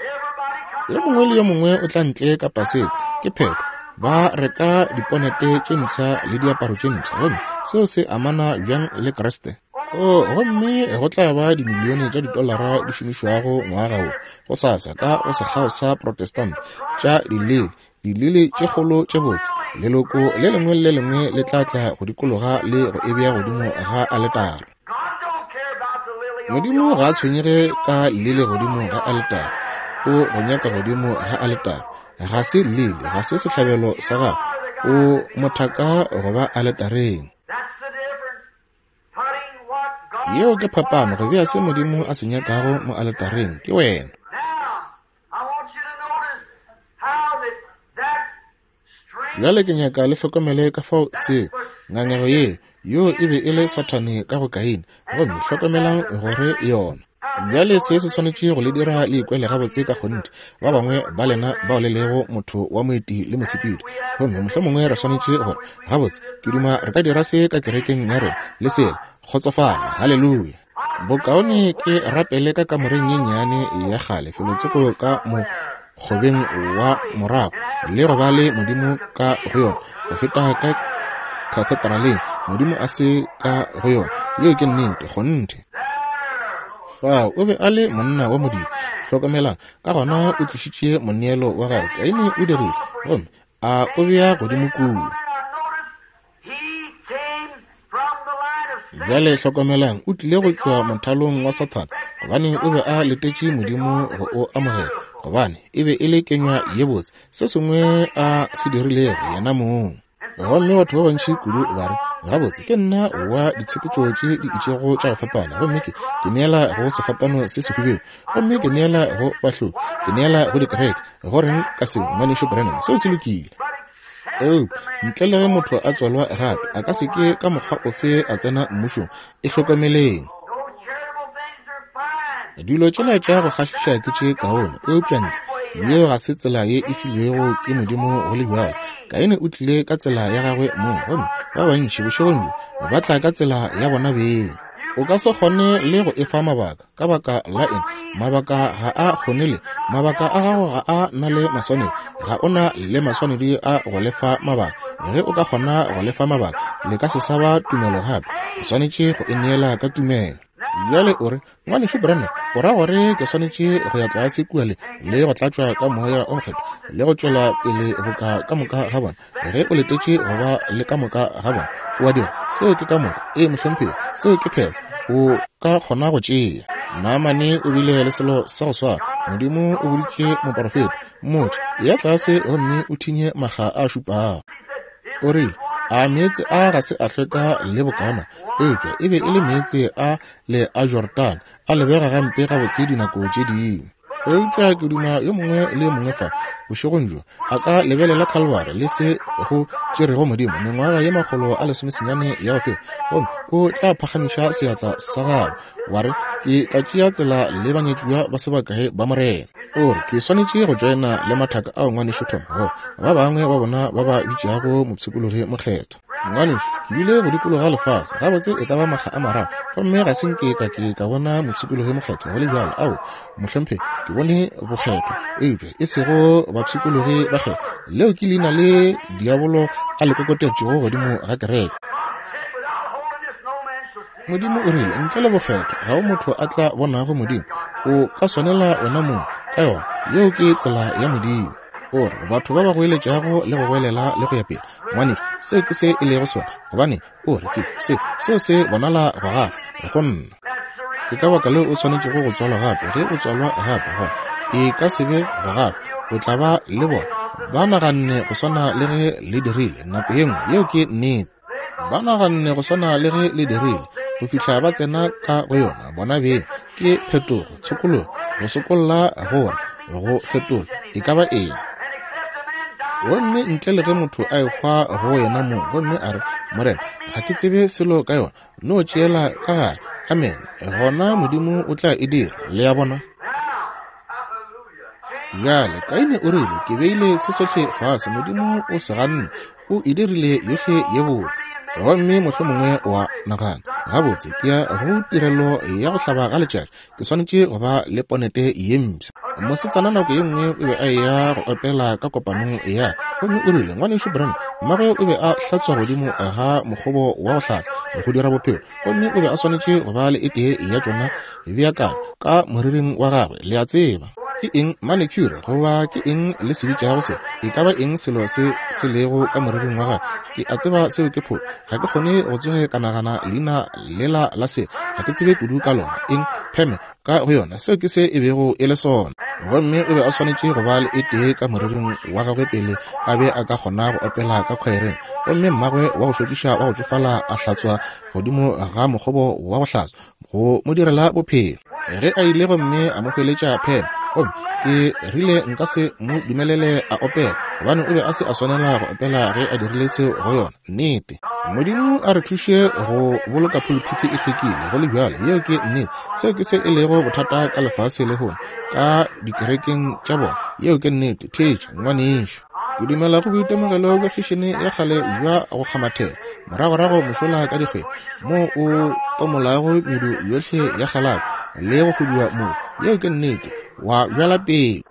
Yo mongwe le yo mongwe o tla ntle ka Paseka, ke phetho. Ba reka diponete tše mpsha le diaparo tše mpsha, gomme seo se amana bjang le Kriste? O, gomme go tla ba dimilione tša ditolara di šomišwago ngwaga wo go sasa ka go sekgao sa Protestant tša dilili, dilili tše kgolo tše botse. Leloko le lengwe le lengwe le tla tla go dikologa le go e bea godimo ga aletara. Modimo ga a tshwenyege ka lili godimo ga aletara, o go nyaka godimo ga aletara. Ga se lili, ga se sehlabelo sa gago, o mothaka go ba aletareng. Yeo ke phapano, go bea se Modimo a se nyakago mo aletareng, ke wena. Bjale ke nyaka le hlokomele ka fao se ngangego ye, yo e be e le Sathane ka go Kaine, gomme hlokomelang gore yona. Bjale se se swanetše go le dira le ikwele gabotse ka kgonthe, ba bangwe ba lena bao le lego motho wa moeti le mosepedi. Gomme mohlomongwe re swanetše gore, gabotse, ke duma re ka dira se ka kerekeng ya rena le sela. Kgotsofala, haleluya. Bokaone ke rapele ka kamoreng ye nnyane ya kgale felotsoko ka mo kgobeng wa morago le go ba le Modimo ka go yona go feta ka kathedraleng, Modimo a se ka go yona. Yeo ke nnete, kgonthe. Fao o be a le monna wa Modimo. Hlokomelang, ka gona o tlišitše moneelo wa gagwe. Kaine o dirile, gomme a o bea godimo kua. Bjale hlokomelang, o tlile go tšwa mothalong wa Sathane, gobane o be a letetše Modimo go o amogela, gobane e be e le kenywa ye botse, se sengwe a se dirilego yena mong. Gomme batho ba bantši kudu ba re, gabotse, ke nna wa ditshepetšo tše di itšego tša go fapana, gomme ke ke neela go sefapano se sehubedu, gomme ke neela go bahloki, ke neela go dikereke. Go reng ka seo, ngwanešu Branham? Seo se lokile. Eupša ntle le ge motho a tswalwa gape, a ka se ke ka mokgwa ofe a tsena mmušong. E hlokomeleng. Dilo tšela tša go kgahliša ke tše kaone, eupša ntle yeo ga se tsela ye e filwego ke Modimo go le bjalo. Kaine o tlile ka tsela ya gagwe mong, gomme ba bantši bošegong bjo ba tla ka tsela ya bona beng. O ka se kgone le go efa mabaka. Ka baka la eng? Mabaka ga a kgone le. Mabaka a gago ga a na le maswanedi. Ga o na le maswanedi a go lefa mabaka. Ge o ka kgona go lefa mabaka, le ka se sa ba tumelo gape. O swanetše go e neela ka tumelo. Bjale o re, Ngwanešu Branham, o ra gore ke swanetše go ya tlase kua le, le go tlatšwa ka Moya o Mokgethwa le go tšwela pele boka ka moka ga bona? Ge o letetše go ba le ka moka ga bona, o a dira. Seo ke ka moka. Ee, mohlomphegi, seo ke phetho. O ka kgona go tšea. Naamane o bile le selo sa go swana. Modimo o boditše moporofeta, mmotše, ya tlase gomme o thinye makga a šupago. O rile, a meetse a ga se a hlweka le bokaona, eupša e be e le meetse a le a Jordane, a lebega gampe gabotse dinako tše dingwe. Eupša ke duma yo mongwe le yo mongwe fa bošegong bjo a ka lebelela Calvary le se go tšerego Modimo mengwaga ye makgolo a lesomesenyane ya go feta, gomme o tla phagamiša seatla sa gago wa re, ke tla tšea tsela le banyetšiwa ba sebakae ba Morena. O re, ke swanetše go joina le mathaka ao ngwanešu Tom, go ba bangwe ba bona ba ba bitšago mopshikologi mokgethwa. Ngwanešu, ke bile go dikologa lefase gabotse e ka ba makga a mararo, gomme ga se nke ka ke ka bona mopshikologi mokgethwa go le bjalo. Ao, mohlomphegi, ke bone bokgethwa, eupša e sego bapshikologi bakgethwa. Leo ke leina le diabolo a le kokotetšego godimo ga kereke. Modimo o rile, ntle le bokgethwa ga o motho a tla bonago Modimo. O ka swanela wena mong ka yona. Yeo ke tsela ya Modimo. O re, batho ba ba goeletšago le go goelela le go ya pele, ngwanešu, seo ke se e lego sona. Gobane o re ke se, seo se bonala go gafa go nna. Ke ka baka leo o swanetšego go tswalwa gape. Ge o tswalwa gape, gona e ka se be go gafa, o tla ba le bona. Ba naganne go swana le ge le dirile nako ye nngwe. Yeo ke nnete. Ba naganne go swana le ge le dirile go fihla ba tsena ka go yona. Bona beng ke phetogo, tshokologo, go sokolla, gore go fetola e ka ba eng. Gomme ntle le ge motho a ehwa go yena mong, gomme a re, Morena, ga ke tsebe selo ka yona, no tšeela ka gare. Amen. Gona Modimo o tla e dira. Le a bona? Bjale Kaine o rile, ke beile se sohle fase, Modimo o se ganne, o e dirile yohle ye botse. Gomme mohlomongwe wa nagana, gabotse ke ya go tirelo ya go hlaba ga letšatši, ke swanetše go ba le ponete ye mpsha. Mosetsana nako ye nngwe o be a eya go opela ka kopanong ya, gomme o rile, ngwanešu Branham, mmagwe o be a hlatswa godimo ga mokgobo wa go hlatswa go dira bophelo, gomme o be a swanetše go ba le e tee ya tšona beakanya ka moriring wa gagwe. Le a tseba ke eng manicure goba ke eng le se bitšago se, e ka ba eng selo se se lego ka moriring wa gagwe? Ke a tseba seo ke phošo, ga ke kgone go tsoge ka nagana leina lela la se, ga ke tsebe kudu ka lona. Eng pheme ka go yona, seo ke se e bego e le sona. Gomme o be a swanetše go ba le e tee ka moriring wa gagwe pele a be a ka kgona go opela ka khwaereng. Gomme mmagwe wa go šokiša wa go tšofala a hlatswa godimo ga mokgobo wa go hlatswa go mo direla bophelo. Ge a ile gomme a mo hweletša pheme, gomme ke rile nka se mo dumelele a opela, gobane o be a se a swanela go opela ge a dirile seo go yona. Nnete. Modimo a re thuše go boloka pulpiti e hlwekile go le bjalo. Yeo ke nnete. Seo ke se e lego bothata ka lefase lehono, ka dikerekeng tša bona. Yeo ke nnete. Theetša, ngwanešu. Ke dumela go boitemogelo bja fešene ya kgale bja go kgamathela moragorago mošola ka dikgwedi, mo o tomolago medu yohle ya kgalako le go huduwa moo. Yeo ke nnete. Wa bjala peo.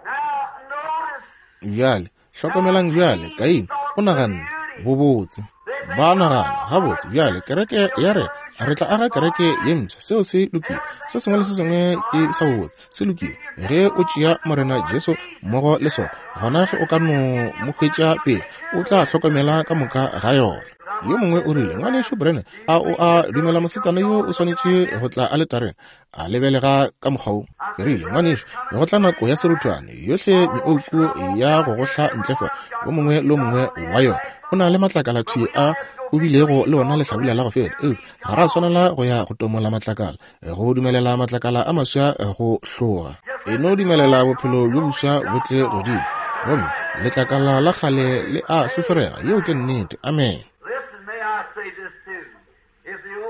Bjale hlokomelang bjale, Kaine o naganne bobotse. Ba nagana gabotse bjale kereke ya re re tla aga kereke ye mpsha, seo se lokile, se sengwe le se sengwe ke sa bobotse, se lokile. Ge o tšea Morena Jesu mmogo le sona, gona ge o ka no mo hwetša pele, o tla hlokomela ka moka ga yona. Yo mongwe o rile, ngwanešu Branham, a o a dumela mosetsana yo o swanetše go tla aletareng? A lebelega ka mokgwa wo. Ke rile, ngwanešu, go tla nako ya seruthwane, yohle meoku ya go gohla ntle fa, o mongwe le o mongwe wa yona o na le matlakala thwi a o bilego le ona lehlabula la go feta. Eupša ga ra swanela go ya go tomola matlakala, go dumelela matlakala a maswa go hloga. E no dumelela bophelo bjo boswa bo tle godimo, gomme letlakala la kgale le a hlohlorega. Yeo ke nnete. Amen.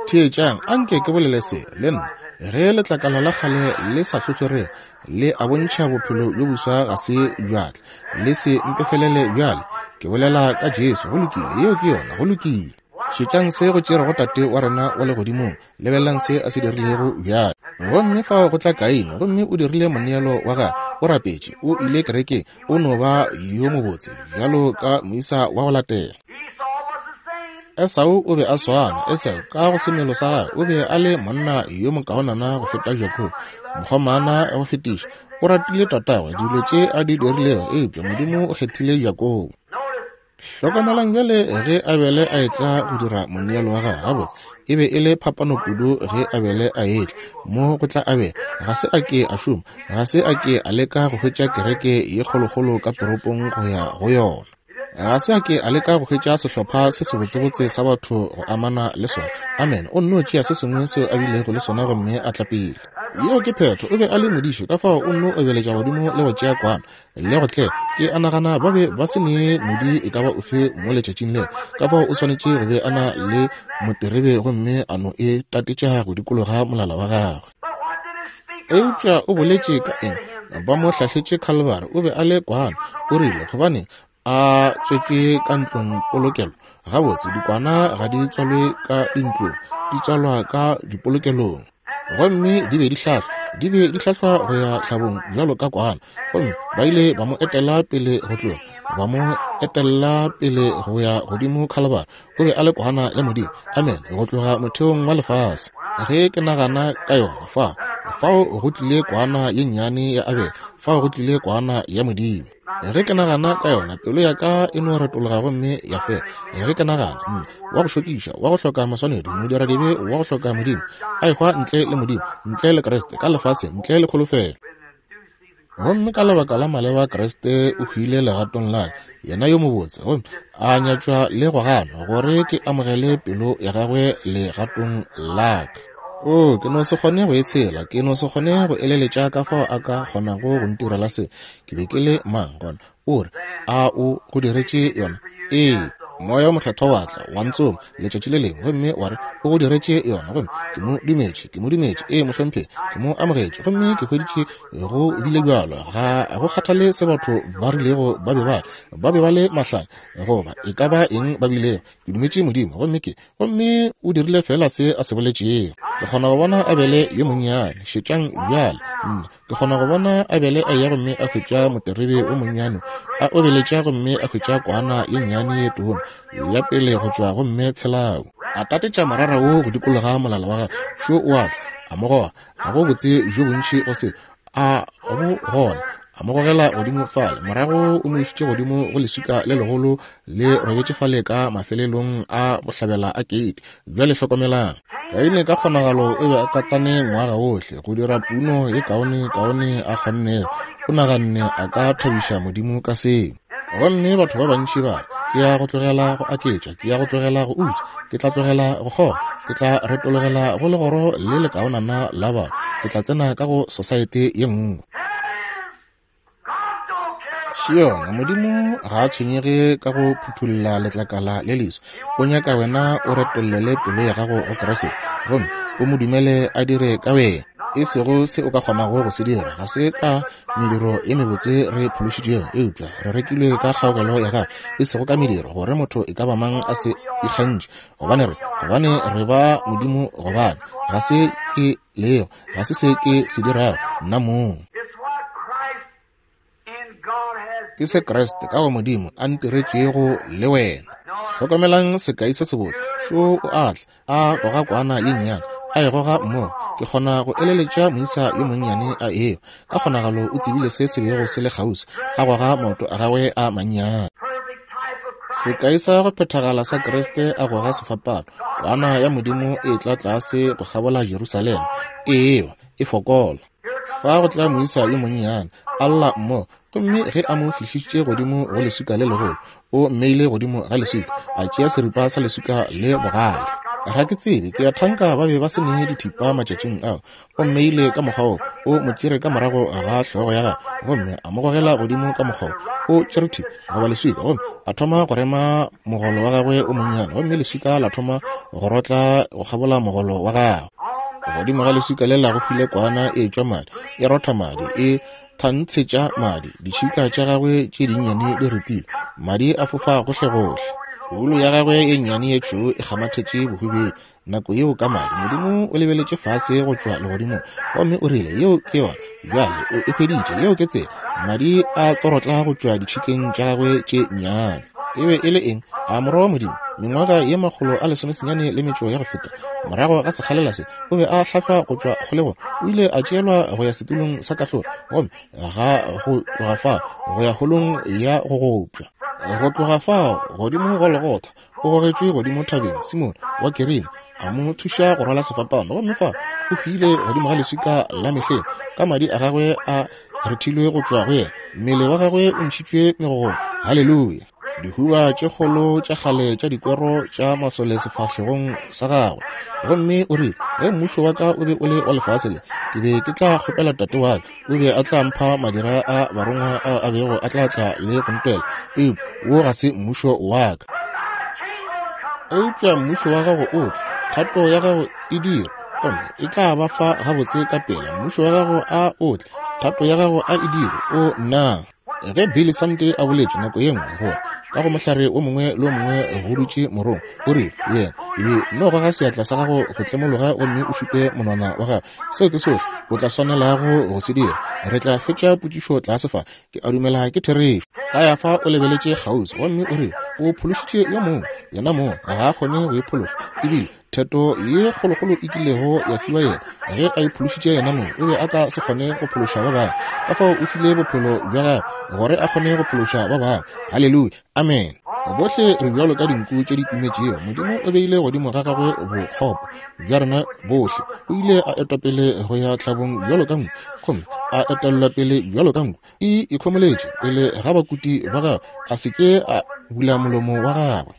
Theetšang, anke ke bolele se le nna. Ge letlakala la kgale le sa hlohlorega, le a bontšha bophelo bjo boswa ga se bjatla. Le se mpefelele bjale, ke bolela ka Jesu. Go lokile, yeo ke yona. Go lokile. Šetšang se go tšerego Tate wa rena wa legodimong. Lebelelang se a se dirilego bjale. Gomme fao go tla Kaine, gomme o dirile moneelo wa gagwe, o rapetše, o ile kerekeng, o no ba yo mobotse bjalo ka moisa wa go latela. Esau o be a swana. Esau ka go semelo sa gagwe o be a le monna yo mokaonana go feta Jakobo, mokgomana go fetiša. O ratile tatagwe dilo tše a di dirilego, eupša Modimo o kgethile Jakobo. Hlokomelang bjale ge Abele a etla go dira moneelo wa gagwe. Gabotse e be e le phapano kudu ge Abele a etla. Mo go tla Abele, ga se a ke a šoma, ga se a ke a leka go hwetša kereke ye kgolokgolo ka toropong go ya go yona. Ga se a ke a leka go hwetša sehlopha se sebotsebotse sa batho go amana le sona. Amen. O nno tšea se sengwe seo a bilego le sona gomme a tla pele. Yeo ke phetho. O be a le modiši, ka fao o nno obeletša godimo le go tšea kwana le go tle. Ke a nagana ba be ba se ne modi e ka ba ofe mo letšatšing leo, ka fao o swanetše go be a na le moterebe gomme a no e tatetša go dikologa molala wa gagwe. Eupša o boletše ka eng? Ba mo hlahletše Calvary. O be a le kwana. O rile, gobane a tswetšwe ka ntlong polokelo. Gabotse dikwana ga di tswalwe ka dintlong, di tswalwa ka dipolokelong. Gomme di be di hlahlwa, di be di hlahlwa go ya tlhabong bjalo ka kwana. Gomme ba ile ba mo etela pele go tloga, ba mo etella pele go ya godimo Calvary. O be a le kwana ya Modimo. Amen. Go tloga motheong wa lefase. Ge ke nagana ka yona, fa fao go tlile kwana ye nnyane ya Abele, fao go tlile kwana ya Modimo. Ge ke nagana ka yona, pelo ya ka e no retologa gomme ya fela. Ge ke nagana, nna wa go šokiša, wa go hloka maswanedi, modiradibe wa go hloka Modimo, a ehwa ntle le Modimo, ntle le Kriste, ka lefase, ntle le kholofelo. Gomme ka lebaka la maleba Kriste o hwile legatong la yena yo mobotse, gomme a nyatšwa le go ganwa, gore ke amogele pelo ya gagwe legatong la ka. O, ke no se kgone go e tshela, ke no se kgone go eleletša ka fao a ka kgonago go ntirela se. Ke be ke le mang gona? O re, a o go diretše yona? Ee. Moya o mokgethwa wa tla wa ntsoma letšatši le lengwe, gomme wa re o go diretše yona. Gomme ke mo dumetše, ke mo dumetše. Ee, mohlomphegi, ke mo amogetše, gomme ke hweditše go bile bjalo. Ga go kgathale se batho ba rilego ba be ba ba be ba le mahlanya goba e ka ba eng ba bilego, ke dumetše Modimo, gomme ke gomme o dirile fela se a se boletšego. Ke kgona go bona Abele yo monnyane. Šetšang bjale, nna ke kgona go bona Abele a ya gomme a hwetša moterebe o monnyane, a obeletša gomme a hwetša kwana ye nnyane ye tona ya pele go tšwa gomme tshelau. A tatetša morara wo go dikologa molala wa gagwe. Šo o a tla, a mo goga. Ga go botse bjo bontši go se a go gona. A mo gogela godimo fale, morago o mo išitše godimo go leswika le legolo le robetše fale ka mafelelong a bohlabela a keiti. Bjale hlokomelang, Kaine ka kgonagalo o be a katane ngwaga ohle go dira puno ye kaone kaone a kgonnego. O naganne a ka thabiša Modimo ka seo. Gomme batho ba bantši ba re, ke ya go tlogela go aketša, ke ya go tlogela go utswa, ke tla tlogela go kgoga, ke tla retologela go legoro le lekaonana la batho, ke tla tsena ka go sosaete ye nngwe. Šiona, Modimo ga a tshwenyege ka go phuthulla letlakala le leso. O nyaka wena o retollele pelo ya gago go Kriste, gomme o mo dumele a dire ka wena, e sego se o ka kgonago go se dira. Ga se ka mediro e mebotse re phološitšwego, eupša re rekilwe ka kgaogelo ya gagwe, e sego ka mediro, gore motho e ka ba mang a se ikgantšhe. Gobane re gobane re ba Modimo, gobane ga se ke lego, ga se se ke se dirago nna mong. Ke se Kriste ka go Modimo a ntiretšego le wena. Hlokomelang sekai se sebotse. Šo o a tla, a goga kwana ye nnyane, a e goga mmogo. Ke kgona go eleletša moisa yo monnyane a eo. Ka kgonagalo o tsebile se se bego se le kgauswi, a goga maoto a gagwe a mannyane. Sekai sa go phethagala sa Kriste a goga sefapano, kwana ya Modimo e tla tlase go kgabola Jerusalema, e ewa, e fokola. Fa go tla moisa yo monnyane, a lla mmogo. Gomme ge a mo fihlišitše godimo go leswika le legolo, o mmeile godimo ga leswika, a tšea seripa sa leswika le bogale. Ga ke tsebe, ke a thanka ba be ba se ne dithipa matšatšing ao. O mmeile ka mokgwa wo, o mo tšere ka morago ga hlogo ya gagwe, gomme a mo gogela godimo ka mokgwa wo. O tšere thipa goba leswika, gomme a thoma go rema mogolo wa gagwe o monnyane, gomme leswika la thoma go rotla go kgabola mogolo wa gagwe. Godimo ga leswika le la go hwile kwana e tšwa madi, e rotha madi, e thantshetša madi. Ditšhika tša gagwe tše dinnyane di ripile, madi a fofa gohlegohle. Wulu ya gagwe ye nnyane ye tšhweu e kgamathetše bohubedu nako yeo ka madi. Modimo o lebeletše fase go tšwa legodimong, gomme o rile, yeo ke yona. Bjale o e hweditše, yeo ke tsela. Madi a tsorotla go tšwa ditšhikeng tša gagwe tše nnyane. E be e le eng? A morwa wa Modimo? Mengwaga ye makgolo a lesomesenyane le metšo ya go feta, morago ga sekgalela se, o be a hlahlwa go tšwa kgolegong. O ile a tšeelwa go ya setulong sa kahlolo, gomme ga go tloga fa go ya holong ya go gopša. Go tloga fao godimo Golgotha, o gogetšwe godimo thabeng. Simone wa Kirene a mo thuša go rwala sefapano, gomme fa o hwile godimo ga leswika la mehleng, ka madi a gagwe a rethilwe go tšwa go yena, mmele wa gagwe o ntšhitšwe megogong. Haleluya! Dihuba tše kgolo tša kgale tša dikwero tša masole sefahlegong sa gagwe. Gomme o rile, ge mmušo wa ka o be o le wa lefase le, ke be ke tla kgopela tate wa ka, o be a tla mpha madira a barongwa ao a bego a tla tla le go ntwela. Eupša wo ga se mmušo wa ka. Eupša mmušo wa gago o tle, thato ya gago e dirwe, gomme e tla ba fa gabotse ka pela. Mmušo wa gago a o tle, thato ya gago a e dirwe. O nna. Ge Billy Sunday a boletše nako ye nngwe gore ka go mohlare o mongwe le o mongwe go dutše morong, o rile yena, e no goga seatla sa gago go tlemologa gomme o šupe monwana wa gago. Seo ke sohle o tla swanelago go se dira. Re tla fetša potšišo tlase fa. Ke a dumela ke therešo. Kayafa o lebeletše kgauswi gomme o rile o phološitše yo mongwe, yena mongwe ga a kgone go iphološa. Ebile theto ye kgolokgolo e kilego ya fiwa yena, ge a iphološitše yena mongwe, o be a ka se kgone go phološa ba bangwe. Ka fao o file bophelo bja gagwe gore a kgone go phološa ba bangwe. Haleluya, amen. Bohle re bjalo ka dinku tše di timetšego. Modimo o beile godimo ga gagwe bokgopo bja rena bohle. O ile a etwa pele go ya tlhabong bjalo ka nku, gomme a etellwa pele bjalo ka nku e ikhomoletše pele ga bakuti ba gagwe, a se ke a bula molomo wa gagwe.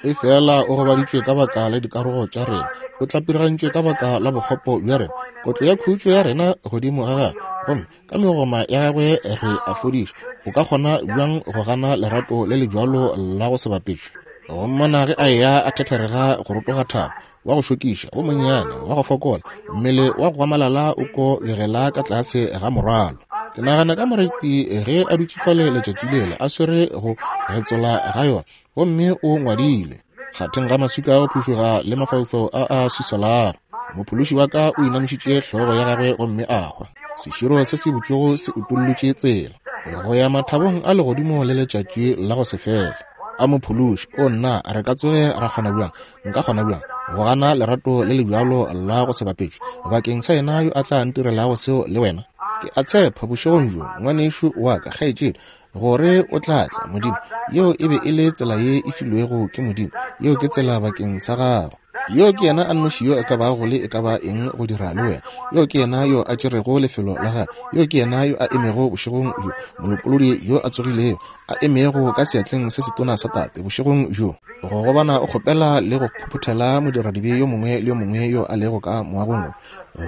Efela o gobaditšwe ka baka la dikarogo tša rena, o tlapirigantšwe ka baka la bokgopo bja rena. Kotlo ya khutšo ya rena godimo ga gagwe, gomme ka megoma ya gagwe re a fodišwa. O ka kgona bjang go gana lerato le le bjalo la go se bapetšwe? Go mmona ge a eya a thetherega go rotoga thaba, wa go šokiša, o monnyane, wa go fokola, mmele wa go gwamalala o ko begela ka tlase ga morwalo. Ke nagana ka moreti ge a dutše fale letšatši lela a swere go getsola ga yona, gomme o ngwadile kgatheng ga maswika a go phušoga le mafaufau a a swisolago. Mophološi wa ka o inamišitše hlogo ya gagwe gomme a hwa. Seširo se se butšwego se utollotše tsela go ya mathabong a legodimo le letšatši la go se fele. A mophološi, o nna, re ka tsoge ra kgona bjang, nka kgona bjang go gana lerato le le bjalo la go se bapetšwe bakeng sa yena yo a tla ntirelago seo le wena? Ke a tshepa bošegong bjo, ngwanešu wa ka, kgaetšedi, gore o tla tla. Modimo, yeo e be e le tsela ye e filwego ke Modimo. Yeo ke tsela bakeng sa gago. Yo ke yena a nnoši yo a ka bago le e ka ba eng go dira le wena. Yo ke yena yo a tšerego lefelo la gagwe. Yo ke yena yo a emego bošegong bjo, molopolodi yo a tsogilego, a emego ka seatleng se setona sa Tate bošegong bjo, go gobana o kgopela le go phuphuthela modiradibe yo mongwe le yo mongwe yo a lego ka moagong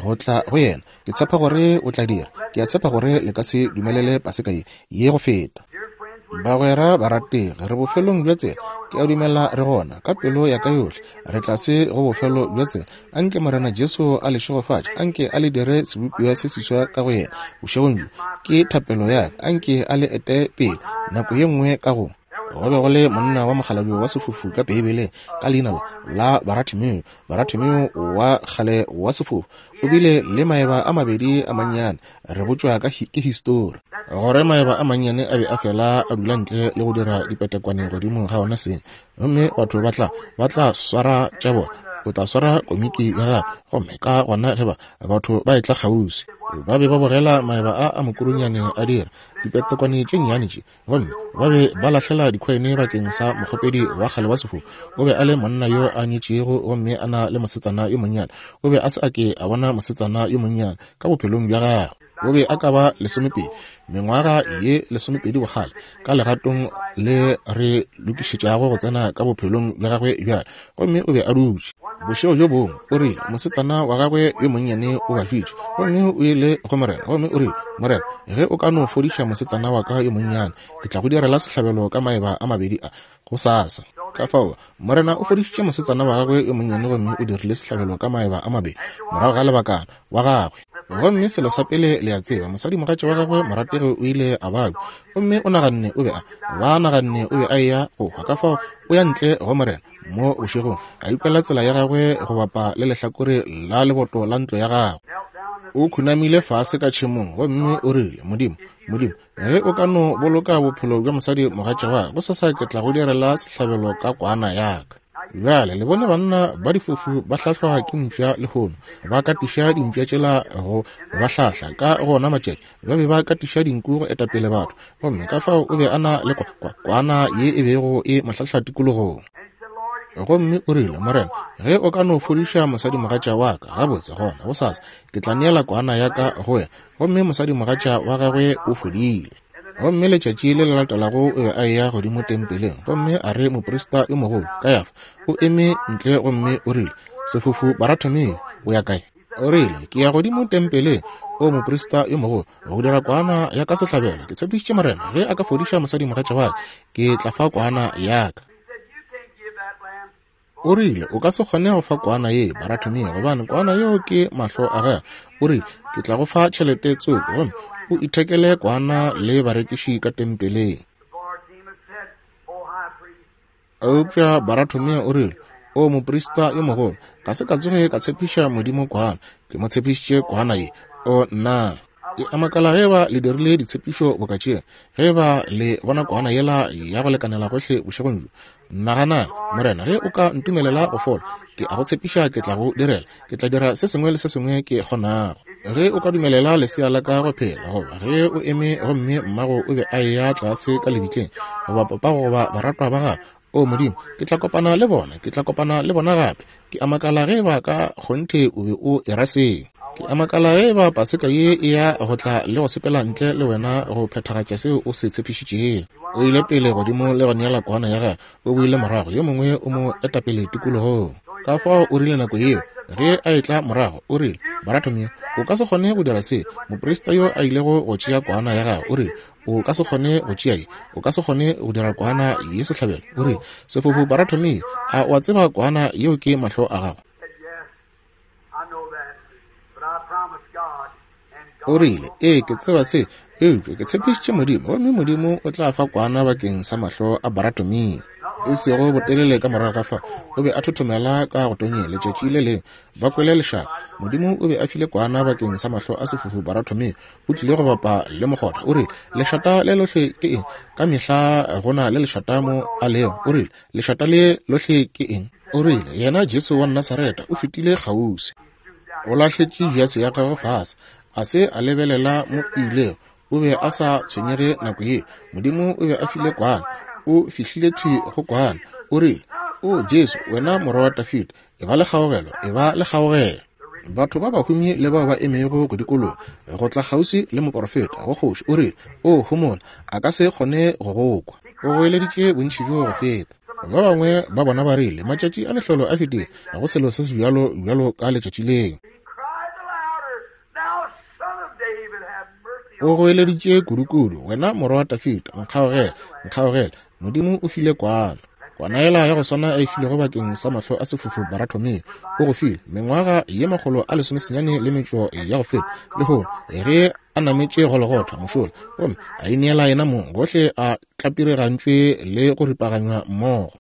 go tla go yena. Ke tshepa gore o tla dira. Ke a tshepa gore le ka se dumelele paseka ye ye go feta. Bagwera barategi, re bofelong bja tsela. Ke a dumela re gona ka pelo ya ka yohle. Re tlase go bofelo bja tsela. Anke Morena Jesu a le šegofatše, anke a le dire sebopiwa se seswa ka go yena bošegong bjo. Ke thapelo ya ka, anke a le ete pele nako ye nngwe ka go. Go be go le monna wa mokgalabje wa sefofu ka Beibeleng ka leina la Baratimeo. Baratimeo wa kgale wa sefofu o bile le maeba a mabedi a mannyane. Re botšwa ka ke histori gore maeba a mannyane a be a fela a dula ntle le go dira dipetekwane godimo ga ona seng, gomme batho ba tla ba tla swara tša bona. O tla swara komiki ya gagwe, gomme ka gona ge ba batho ba etla kgauswi, ba be ba bogela maeba a a mokurunyane a dira dipetekwane tše nnyane tše, gomme ba be ba lahlela dikhoine bakeng sa mokgopedi wa kgale wa sefofu. O be a le monna yo a nyetšego gomme a na le mosetsana yo monnyane. O be a se a ke a bona mosetsana yo monnyane ka bophelong bja gagwe. O be a ka ba lesomepedi, mengwaga ye lesomepedi bokgale, ka legatong le re lokišetšago go tsena ka bophelong bja gagwe bjale. Gomme o be a dutše bošego bjo bongwe, o rile mosetsana wa gagwe yo monnyane o bafitše, gomme o ile go Morena gomme o rile, Morena, ge o ka no fodiša mosetsana wa ka yo monnyane, ke tla go direla sehlabelo ka maeba a mabedi a gosasa. Ka fao Morena o fodišitše mosetsana wa gagwe yo monnyane gomme o dirile sehlabelo ka maeba a mabedi morago ga lebakana wa gagwe. Gomme selo sa pele le a tseba, mosadimogatša wa gagwe morategi o ile a babja, gomme o naganne o be a ba naganne o be a eya go hwa. Ka fao o ya ntle go Morena mo bošegong, a ikwela tsela ya gagwe go bapa le lehlakore la leboto la ntlo ya gagwe. O khunamile fase ka tšhemong gomme o rile, Modimo, Modimo, ge o ka no boloka bophelo bja mosadi mogatša wa ka, gosasa ke tla go direla sehlabelo ka kwana ya ka. Bjale le bone banna ba difofu ba hlahlwa ke mpša lehono, ba katiša dimpša tšela go ba hlahla. Ka gona matšatši ba be ba katiša dinku go etapele batho, gomme ka fao o be a na le kwana ye e bego e mo hlahla tikologong. Gomme o rile, Morena, ge o ka no fodiša mosadimogatša wa ka, gabotse gona gosasa ke tla neela kwana ya ka go wena. Gomme mosadimogatša wa gagwe o fodile. Gomme letšatši le le latelago o be a eya godimo tempeleng, gomme a re moprista yo mogolo Kayafa o eme ntle gomme o rile, Sefofu Baratimeo, o ya kae? O rile, ke ya godimo tempeleng, o moprista yo mogolo, go dira kwana ya ka sehlabelo. Ke tshepišitše Morena, ge a ka fodiša mosadimogatša wa ka, ke tla fa kwana ya ka. O rile, o ka se kgone go fa kwana ye Baratimeo, gobane kwana yeo ke mahlo a gagwe. O rile, ke tla go fa tšhelete tsoko, gomme o ithekele kwana le barekiši ka tempeleng. Eupša Baratimeo o rile, o moprista yo mogolo, ga se ka tsoge ka tshepiša Modimo kwana, ke mo tshepišitše kwana ye. O nna ke a makala ge ba le dirile ditshepišo boka tšeo, ge ba le bona kwana yela ya go lekanela gohle bošegong bjo. Nagana, Morena, ge o ka ntumelela go fola, ke a go tshepiša ke tla go direla, ke tla dira se sengwe le se sengwe ke kgonago. Ge o ka dumelela lesea la ka go phela, goba ge o eme gomme mmago o be a eya tlase ka lebitleng, goba papago goba baratwa ba gago, o Modimo, ke tla kopana le bona, ke tla kopana le bona gape. Ke a makala ge ba ka kgonthe o be o era seo. Ke a makala ge ba paseka ye e ya go tla le go sepela ntle le wena go phethagatša seo o se tshepišitšego. O ile pele godimo le go neela kwana ya gagwe, o boile morago, yo mongwe o mo etapele tikologong. Ka fao o rile nako yeo ge a etla morago, o rile, Baratimeo, o ka se kgone go dira se. Moprista yo a ilego go tšea kwana ya gagwe o rile, o ka se kgone go tšea ye, o ka se kgone go dira kwana ye sehlabelo. O rile, sefofu Baratimeo, a o a tseba kwana yeo ke mahlo a gago? O rile, ee, ke tseba se, eupša ke tshepišitše Modimo, gomme Modimo o tla fa kwana bakeng sa mahlo a Baratimeo. E sego botelele ka morago ga fa, o be a thothomela ka go tonyeng letšatši le lengwe, ba kwele lešata. Modimo o be a file kwana bakeng sa mahlo a sefofu Baratimeo. O tlile go bapa le mokgotha. O rile, lešata le lohle ke eng? Ka mehla go na le lešata mo a lego. O rile, lešata le lohle ke eng? O rile, yena Jesu wa Nasareta o fetile kgauswi. O lahletše jase ya gagwe fase, a se a lebelela mo ilego. O be a sa tshwenyege nako ye. Modimo o be a file kwana, o fihlile thwi go kwana. O rile, o Jesu, wena morwa wa Dafida, e ba le kgaogelo, e ba le kgaogelo. Batho ba bahumi le bao ba emego go dikologa go tla kgauswi le moporofeta go kgoši, o rile, o homola, a ka se kgone go go kwa. O goeleditše bontši bjo go feta. Ba bangwe ba bona ba rile, matšatši a mehlolo a fetile, ga go selo se se bjalo bjalo ka letšatši leo. O goeleditše kudukudu, wena morwa wa Dafida, nkgaogele, nkgaogele. Modimo o file kwana. Kwana yela ya go swana a e filego bakeng sa mahlo a sefofu Baratimeo, o go file mengwaga ye makgolo a lesomesenyane le metšo ya go feta lehono, ge a nametše Golgotha mošola, gomme a ineela yena mong, gohle a tlapirigantšwe le go ripaganywa mmogo.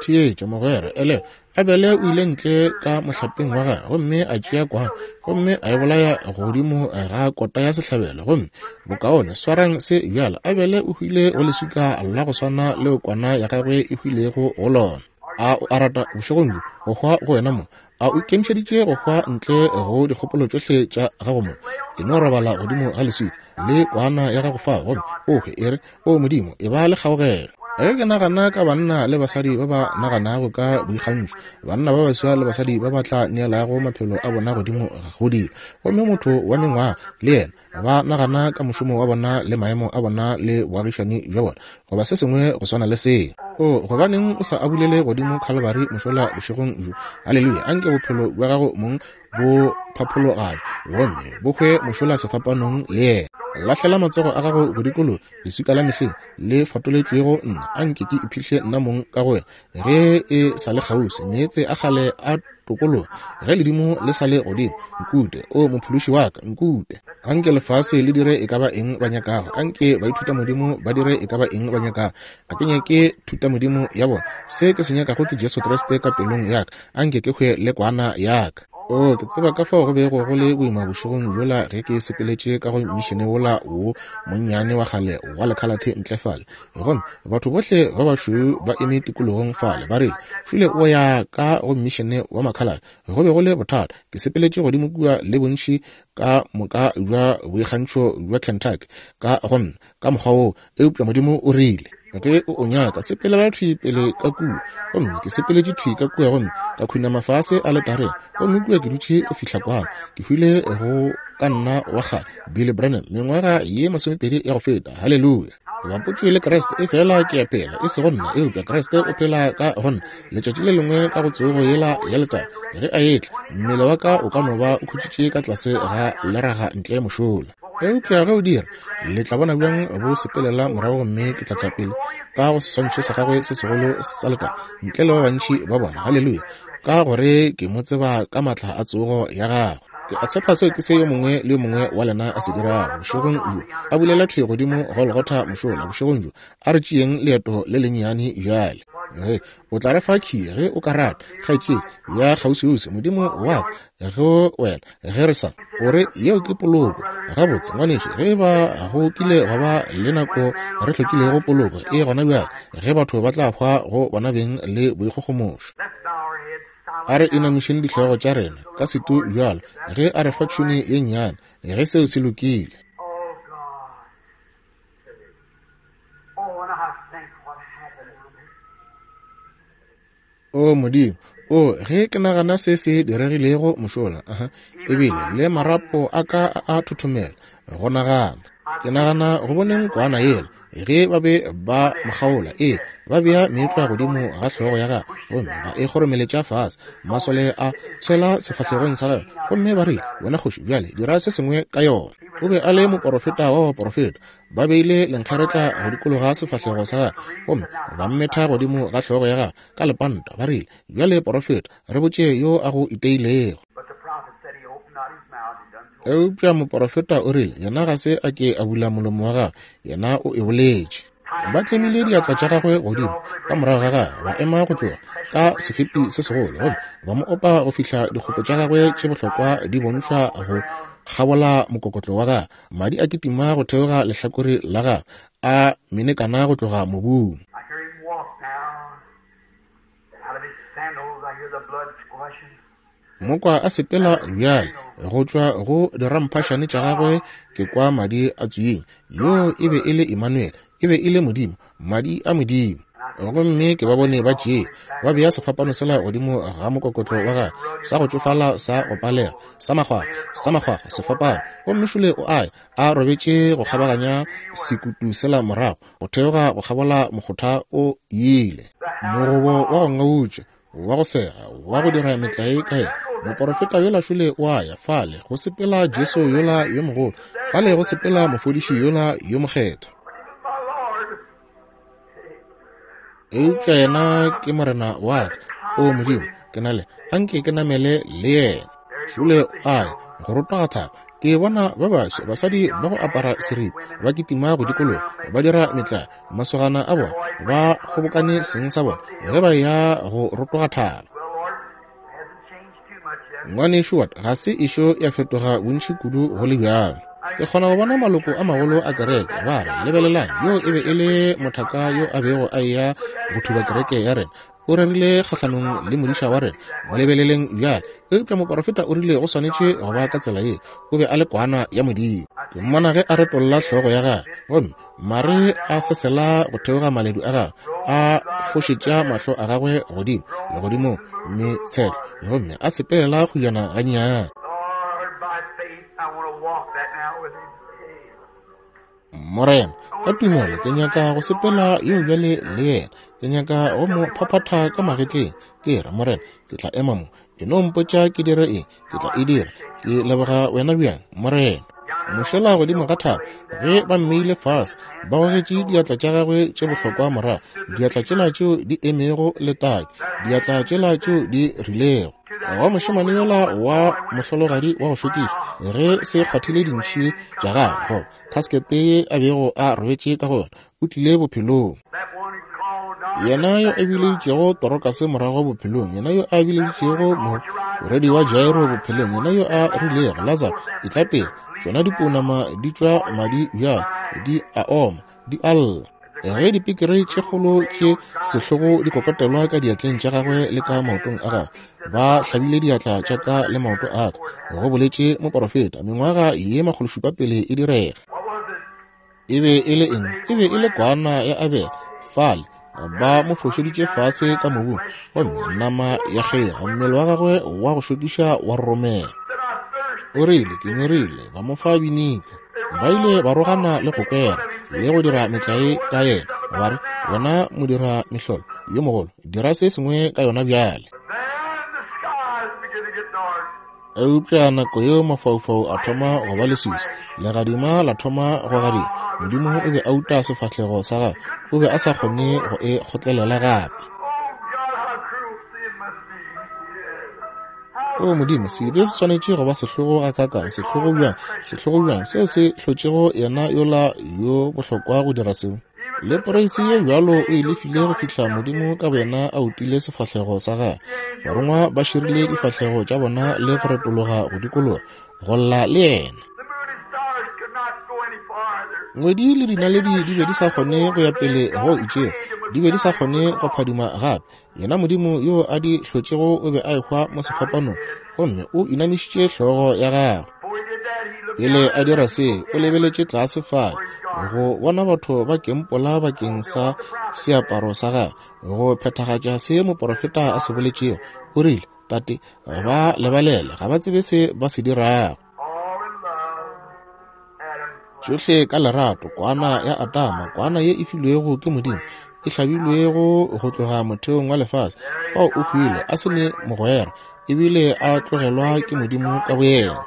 Theetša mogwera, ele Abele o ile ntle ka mohlapeng wa gagwe gomme a tšea kwana gomme a e bolaya godimo ga kota ya sehlabelo. Gomme bokaone swarang se bjalo, Abele o hwile go leswika la go swana leo kwana ya gagwe e hwilego go lona. A o a rata bošegong bjo go hwa go wena mo? A o ikemišeditše go hwa ntle go dikgopolo tšohle tša gago mo? E no robala godimo ga leswika le kwana ya gago fao, gomme o hwe, e re, o Modimo, e ba le kgaogelo. Ge ke nagana ka banna le basadi ba ba naganago ka boikgantšho, banna ba baswa le basadi ba ba tla neelago maphelo a bona godimo go dilo, gomme motho wa mengwaga le yena ba nagana ka mošomo wa bona le maemo a bona le boagišani bja bona, goba se sengwe go swana le seo. O gobaneng o sa abulele godimo Calvary mošola bošegong bjo? Haleluya! Anke bophelo bja gago mong bo phaphologane gomme bo hwe mošola sefapanong le yena. Lahlela matsogo a gago go dikologa leswika la mehleng le fatoletšwego nna, anke ke iphihle nna mong ka go wena. Ge e sa le kgauswi, meetse a kgale a tokologa, ge ledimo le sa le godimo, nkute, o mophološi wa ka, nkute. Anke lefase le dire e ka ba eng ba nyakago, anke baithutamodimo ba dire e ka ba eng ba nyakago. Ga ke nyake thutamodimo ya bona, se ke se nyakago ke Jesu Kriste ka pelong ya ka, anke ke hwe le kwana ya ka. O, ke tseba ka fao go bego go le boima bošegong bjola ge ke sepeletše ka go mišene wola wo monnyane wa kgale wa lekhalathe ntle fale. Gomme batho bohle ba bašweu ba eme tikologong fale, ba rile, "Šule o ya ka go mišene wa makhalate." Go be go le bothata. Ke sepeletše godimo kua le bontši ka moka bja boikgantšho bja Kentucky ka go nna ka mokgwa woo, eupša Modimo o rile, "Ge o o nyaka, sepelela thwi pele ka kua." Gomme ke sepeletše thwi ka kua gomme ka khunama fase aletareng, gomme kua ke dutše go fihla kwano. Ke hwile go ka nna wa kgale Billy Branham mengwaga ye masomepedi ya go feta. Haleluya! Ke bapotšwe le Kriste, efela ke a phela, e sego nna, eupša Kriste o phela ka go nna. Letšatši le lengwe ka go tsogo yela ya letago, ge a etla, mmele wa ka o ka no ba o khutšitše ka tlase ga leraga ntle mošola. Eupša ge o dira, le tla bona bjang bo sepelela morago, gomme ke tla tla pele ka go seswantšho sa gagwe se segolo sa letago ntle le ba bantši ba bona. Haleluya! Ka gore ke mo tseba ka maatla a tsogo ya gagwe. Ke a tshepa seo ke se yo mongwe le yo mongwe wa lena a se dirago bošegong bjo. A bulela thwi godimo Golgotha mošola bošegong bjo. A re tšeeng leeto le lennyane bjale. Ge o tla re fa key ge o ka rata, kgaetšedi ya kgauswiuswi, Modimo wa ka go wena ge re sa o re yeo ke poloko. Gabotse ngwanešu, ge ba go kile gwa ba le nako re hlokilego poloko, e gona bjale ge batho ba tla hwa go bona beng le boikgogomošo. A re inamišeng dihlogo tša rena ka setu bjalo ge a re fa tšhune ye nnyane, ge seo se lokile. Oh God. Oh, and I think what happened down there. O Modimo, o ge ke nagana se se diregilego mošola, aha, ebile le marapo a ka a a thothomela go nagana. Ke nagana go boneng kwana yela ge ba be ba mo kgaola, ee, ba bea meetlwa godimo ga hlogo ya gagwe gomme ba e kgoromeletša fase. Masole a tshwela sefahlegong sa gagwe gomme ba rile, "Wena kgoši, bjale dira se sengwe ka yona." O be a le moporofeta wa baporofeta. Ba beile lenkgeretla go dikologa sefahlego sa gagwe gomme ba mmetha godimo ga hlogo ya gagwe ka lepanta. Ba rile, "Bjale porofeta, re botše yo a go iteilego." But the prophet said he opened not his mouth and done so. Eupša moporofeta o rile, yena ga se a ke a bula molomo wa gagwe, yena o e boletše. Ba tlemile diatla tša gagwe godimo ka morago ga gagwe, ba ema go tloga ka sefepi se segolo gomme ba mo opa go fihla dikgopo tša gagwe tše bohlokwa di bontšhwa go kgabola mokokotlo wa gagwe. Madi a kitima go theoga lehlakore la gagwe, a menekana go tloga mobung. I hear him walk now. And out of his sandals I hear the blood squashing. Mokwa a sepela bjale go tšwa go diramphašane tša gagwe, ke kwa madi a tsweng. Yo e be e le Emmanuel, e be e le Modimo, madi a Modimo. Gomme ke ba bone ba tšee ba bea sefapano sela godimo ga mokokotlo wa gagwe, sa go tšofala, sa go palega, sa makgwakgwa, sa makgwakgwa sefapano. Gomme šole o aye a robetše go kgabaganya sekutu sela morago go theoga go kgabola mokgotha o ile. Mogobo wa go ngautša, wa go sega, wa go dira metlae ka yena. Moporofeta yola šole o a ya fale go sepela Jesu yola yo mogolo, fale go sepela mofodiši yola yo mokgethwa. My Lord. Eupša yena ke Morena wa ka. O Modimo, ke na le anke ke namele le yena. Šole a ya go rotoga thaba. Ke bona ba baswa basadi ba go apara seripa ba kitima go dikologa ba dira metlae, masogana a bona ba kgobokane seng sa bona ge ba ya go rotoga thaba. Well, Lord, it hasn't changed too much yet. Ngwanešu wa ka, ga se ešo ya fetoga bontši kudu go le bjalo. Ke kgona go bona maloko a magolo a kereke ba re, "Lebelelang, yo e be e le mothaka yo a bego a eya go thuba kereke ya rena. O rerile kgahlanong le modiša wa rena. Mo lebeleleng bjale." Eupša moporofeta o rile go swanetše go ba ka tsela ye. O be a le kwana ya Modimo. Ke mmona ge a retolla hlogo ya gagwe, gomme mare a sesela go theoga maledu a gagwe, a fošetša mahlo a gagwe godimo legodimong metshehlo, gomme a sepelela kgojana gannyane. Lord, by faith, I want to walk that now with him. Morena, ka tumelo ke nyaka go sepela yeo bjale le yena. Ke nyaka go mo phaphatha ka magetleng. Ke re, Morena, ke tla ema mo. E no mpotša ke dire eng, ke tla e dira. Ke leboga wena bjang, Morena. Mošola godimo ga thaba, ge ba mmeile fase, ba gogetše diatla tša gagwe tše bohlokwa morago, diatla tšela tšeo di emego letaki, diatla tšela tšeo di rilego. Wa mošemane yola wa mohlologadi wa go šokiša, ge se kgwathile dintšhi tša gagwe goba kaskete ye a bego a robetše ka go yona, o tlile bophelong. That one who called Yena yo a bileditšego Torokase morago bophelong, yena yo a bileditšego morwedi wa Jairo bophelong, yena yo a rilego Lazaro etla pele, tšona dipounama di tšwa madi bjalo, di a oma, di a lla. Ge dipikiri tše kgolo tše sehlogo di kokotelwa ka diatleng tša gagwe le ka maotong a gagwe, ba hlabile diatla tša ka le maoto a ka, go boletše moporofeta mengwaga ye makgološupa pele e direga. E be e le eng? E be e le kwana ya Abele. Fale ba mo fošeditše fase ka mobung, gomme nama ya kgega, mmele wa gagwe wa go šokiša wa roromela. O rile, ke nyorile, ba mo fa binika. Ba ile ba rogana le go kwera le go dira metlae ka yena, ba re, wena modira mehlolo yo mogolo, dira se sengwe ka yona bjale. Eupša nako yeo mafaufau a thoma go ba leswiswi, legadima la thoma go gadima. Modimo o be a uta sefahlego sa gagwe, o be a sa kgone go e kgotlelela gape. O Modimo, sebe se swanetše go ba sehlogo gakaakang, sehlogo bjang, sehlogo bjang, seo se hlotšego yena yola yo bohlokwa go dira seo. Le poreisi ye bjalo o e lefile go fihla Modimo ka boyena a utile sefahlego sa gagwe. Barongwa ba širile difahlego tša bona le go retologa go dikologa, go lla le yena. Ngwedi le dinaledi di be di sa kgone go ya pele go itšego, di be di sa kgone go phadima gape. Yena Modimo yo a di hlotšego o be a ehwa mo sefapanong, gomme o inamišitše hlogo ya gagwe. Pele a dira se, o lebeletše tlase fale go bona batho ba kempola bakeng sa seaparo sa gagwe, go phethagatša se moporofeta a se boletšego. O rile, Tate, ba lebalele, ga ba tsebe se ba se dirago. Tšohle ka lerato, kwana ya Adama, kwana ye e filwego ke Modimo, e hlabilwego go tloga motheong wa lefase, fao o hwile a se ne mogwera, ebile a tlogelwa ke Modimo ka boyena.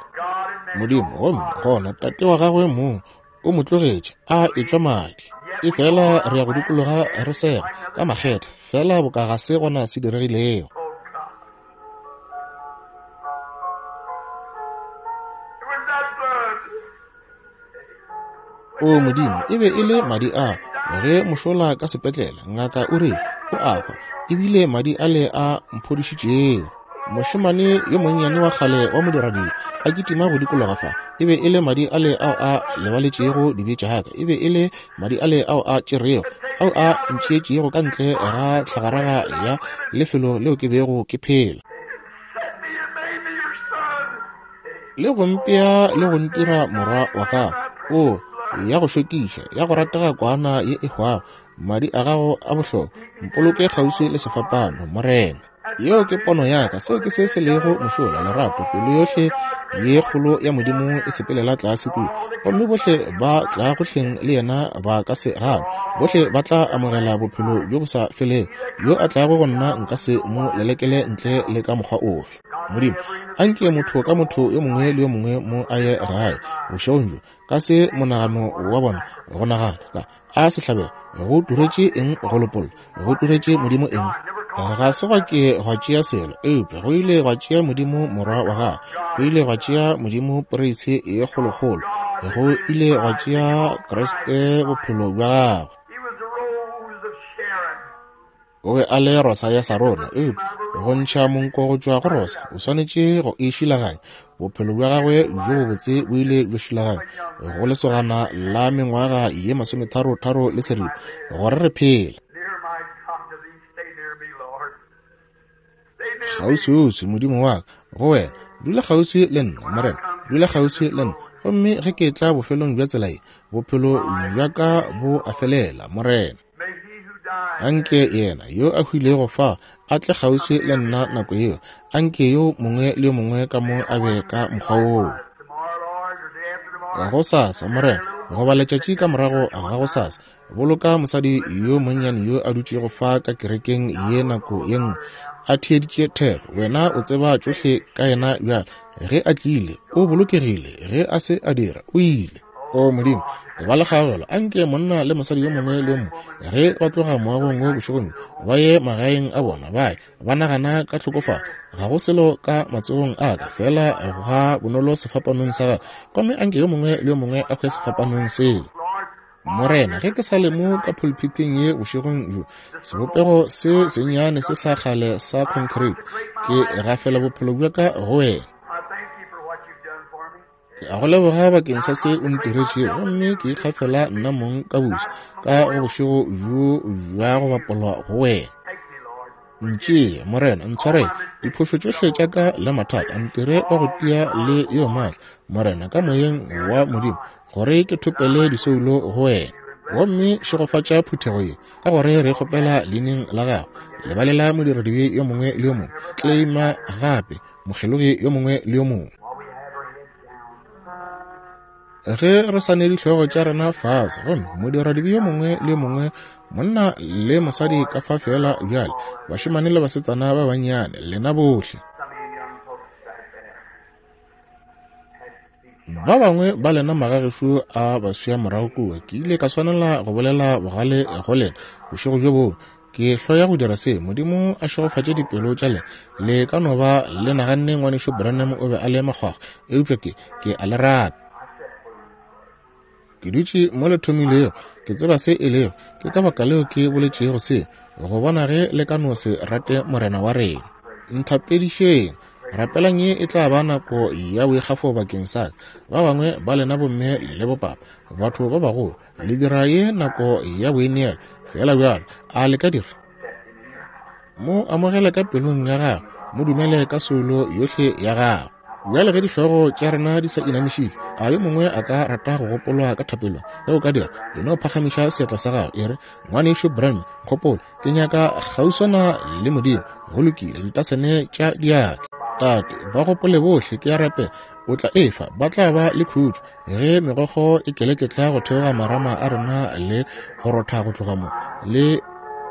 Modimo, gomme gona tate wa gagwe mong o mo tlogetše a etšwa madi. E fela re ya go dikologa re sega ka makgethe, fela boka ga se gona se diregilego. O Modimo, e be e le madi a ge mošola ka sepetlele, ngaka o rile o a hwa, ebile madi ale a mphodišitšego. Mošemane yo monnyane wa kgale wa modiradibe a kitima go dikologa fa, e be e le madi ale ao a lebaletšego dibe tša ka, e be e le madi ale ao a tšerego, ao a ntšhietšego ka ntle ga tlhagaraga ya lefelo leo ke bego ke phela, le go mpea le go ntira morwa wa gago. O ya go šokiša, ya go ratega kwana ye e hwago, madi a gago a bohlokwa, mpoloke kgauswi le sefapano, Morena. Yeo ke pono ya ka, seo ke se se lego mošola, lerato, pelo yohle ye kgolo ya Modimo e sepelela tlase kua, gomme bohle ba tla gohleng le yena ba ka se gane, bohle ba tla amogela bophelo bjo bo sa felego. Yo a tlago go nna nka se mo lelekele ntle le ka mokgwa ofe. Modimo, anke motho ka motho yo mongwe le yo mongwe mo a ye gae bošegong bjo ka se monagano wa bona go nagana a sehlabelo go turetše eng go lopolla, go turetše Modimo eng. Ga se gwa ke gwa tšea selo, eupša go ile gwa tšea Modimo morwa wa gagwe, go ile gwa tšea Modimo poreisi ye kgolokgolo, go ile gwa tšea Kriste bophelo bja gagwe. O be a le rosa ya Sarona, eupša go ntšha monko go tšwa go rosa, o swanetše go e šilaganya. Bophelo bja gagwe bjo bobotse bo ile bja šilaganya go lesogana la mengwaga ye masometharo-tharo le seripa gore re phele. Kgauswiuswi, Modimo wa ka, go wena, dula kgauswi le nna, Morena, dula kgauswi le nna, gomme ge ke tla bofelong bja tsela ye, bophelo bja ka bo a felela, Morena. Anke yena yo a hwilego fa a tle kgauswi le nna nako yeo, anke yo mongwe le yo mongwe ka mo a be ka mokgwa woo. Gosasa, Morena, goba letšatši ka morago ga gosasa, boloka mosadi yo monnyane yo a dutšego fa ka kerekeng ye nako ye nngwe a theeditše thero. Wena o tseba tšohle ka yena bjale. Ge a tlile, o bolokegile, ge a se a dira, o ile. O Modimo, ba le kgaogelo, anke monna le mosadi yo mongwe le yo mongwe ge ba tloga moagong wo bošegong ba ye magaeng a bona, ba ye ba nagana ka tlhokofalo. Ga go selo ka matsogong a ka, fela ga bonolo sefapanong sa gagwe, gomme anke yo mongwe le yo mongwe a hwe sefapanong seo. Morena, ge ke sa le mo ka pulpiteng ye bošegong bjo, sebopego se sennyane se sa kgale sa concrete, ke gafela bophelo bja ka go wena. Ke a go leboga bakeng sa se o ntiretšego, gomme ke ikgafela nna mong ka buša ka go bošego bjo bja go bapolwa go wena. Ntšee, Morena, ntshwarele diphošo tšohle tša ka le mathata, ntire wa go tia le yo maatla, Morena, ka moyeng wa Modimo, gore ke thopele disoulo go wena. Gomme šegofatša phuthego ye, ka gore re kgopela leineng la gago. Lebalela modiradibe yo mongwe le yo mongwe, claima gape mokgelogi yo mongwe le yo mongwe. Ge re sa ne dihlogo tša rena fase, gomme modiradibe yo mongwe le yo mongwe, monna le mosadi ka fa fela bjale, bašemane le basetsana ba bannyane, lena bohle. Ba bangwe ba lena magagešo a baswia morago kua, ke ile ka swanela go bolela bogale go lena bošego bjo bongwe. Ke hloya go dira se. Modimo a šegofatše dipelo tša lena. Le ka no ba le naganne ngwanešu Branham o be a le makgwakgwa, eupša ke ke a le rata. Ke dutše mo le thomilego, ke tseba se e lego. Ke ka baka leo ke boletšego se, go bona ge le ka no se rate Morena wa rena. Nthapedišeng, rapelang ye e tla ba nako ya boikgafo bakeng sa ka. Ba bangwe ba lena bomme le bopapa, batho ba bagolo, le dira ye nako ya boineelo fela bjalo. A le ka dira? Mo amogele ka pelong ya gago, mo dumele ka soulo yohle ya gago. Bjale ge dihlogo tša rena di sa inamišitšwe, a yo mongwe a ka rata go gopolwa ka thapelong? Ge o ka dira, e no phagamiša seatla sa gago, e re, ngwanešu Branham, kgopolo, ke nyaka kgauswana le Modimo. Go lokile, ditasene tša diatla. Tate, ba gopole bohle, ke a rapela, o tla efa, ba tla ba le khutšo ge megokgo e keleketla go theoga marama a rena le go rotha go tloga mo le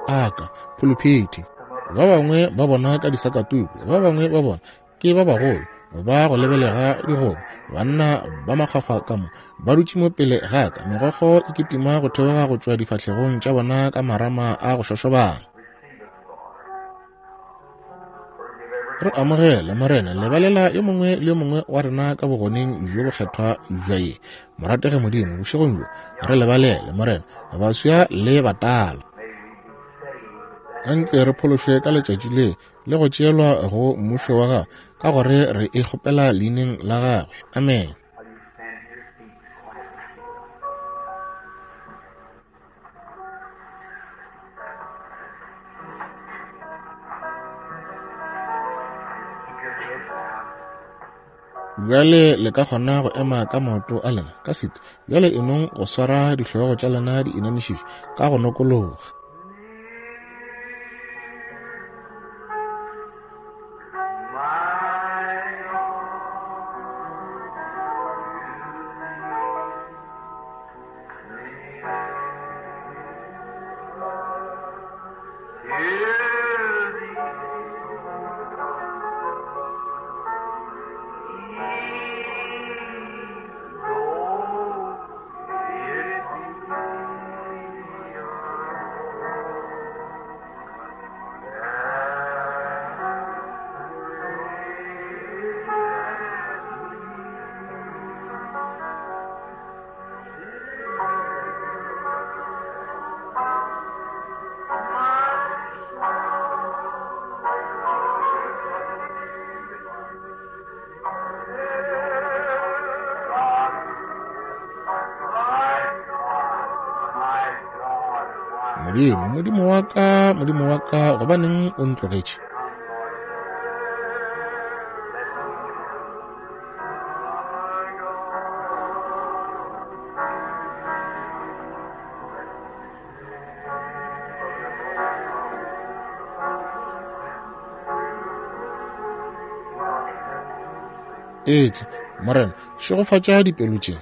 aka phuluphithi. Ba bangwe ba bona ka disakatuku, ba bangwe ba bona ke ba bagolo ba go lebelega digobo, banna ba makgwakgwa ka mo ba dutše mo pele ga ka, megokgo e kitima go theoga go tšwa difahlegong tša bona ka marama a go šošobana. Re amogele, Morena, lebalela yo mongwe le yo mongwe wa rena ka bogoneng bjo bokgethwa bja ye. Moratege Modimo, bošegong bjo re lebalele, Morena, baswa le batala. Anke re phološwe ka letšatši le le go tšeelwa go mmušo wa gagwe, ka gore re e kgopela leineng la gagwe. Amen. Bjale le ka kgona go ema ka maoto a lena ka setu. Bjale e nong go swara dihlogo tša lena di inamišitšwe ka go nokologa. Modimo, Modimo wa ka, Modimo wa ka, gobaneng o ntlogetše? Etla, Morena, šegofatša dipelo tše.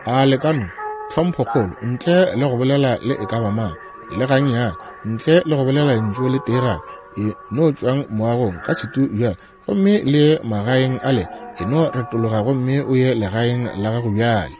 A le ka no tlhomphokgolo, ntle le go bolela le e ka ba mang, le gannyane, ntle le go bolela lentšu le tee gape, e no tšwang moagong ka setu bjale, gomme le magaeng ale, e no retologa gomme o ye legaeng la gago bjale.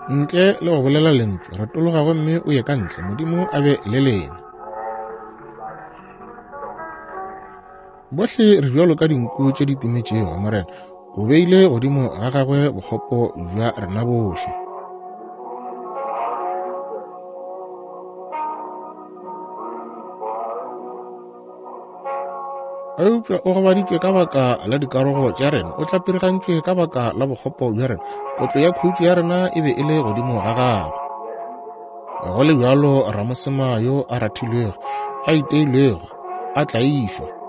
Ntle le go bolela lentšu, retologa gomme o ye ka ntle. Modimo a be le lena. Bohle re bjalo ka dinku tše di timetšego, Morena o beile godimo ga gagwe bokgopo bja rena bohle. Eupša o gobaditšwe ka baka la dikarogo tša rena, o tlapirigantšwe ka baka la bokgopo bja rena. Kotlo ya khutšo ya rena e be e le godimo ga gagwe. Go le bjalo ramosema yo a rathilwego, a iteilwego, a tlaišwa.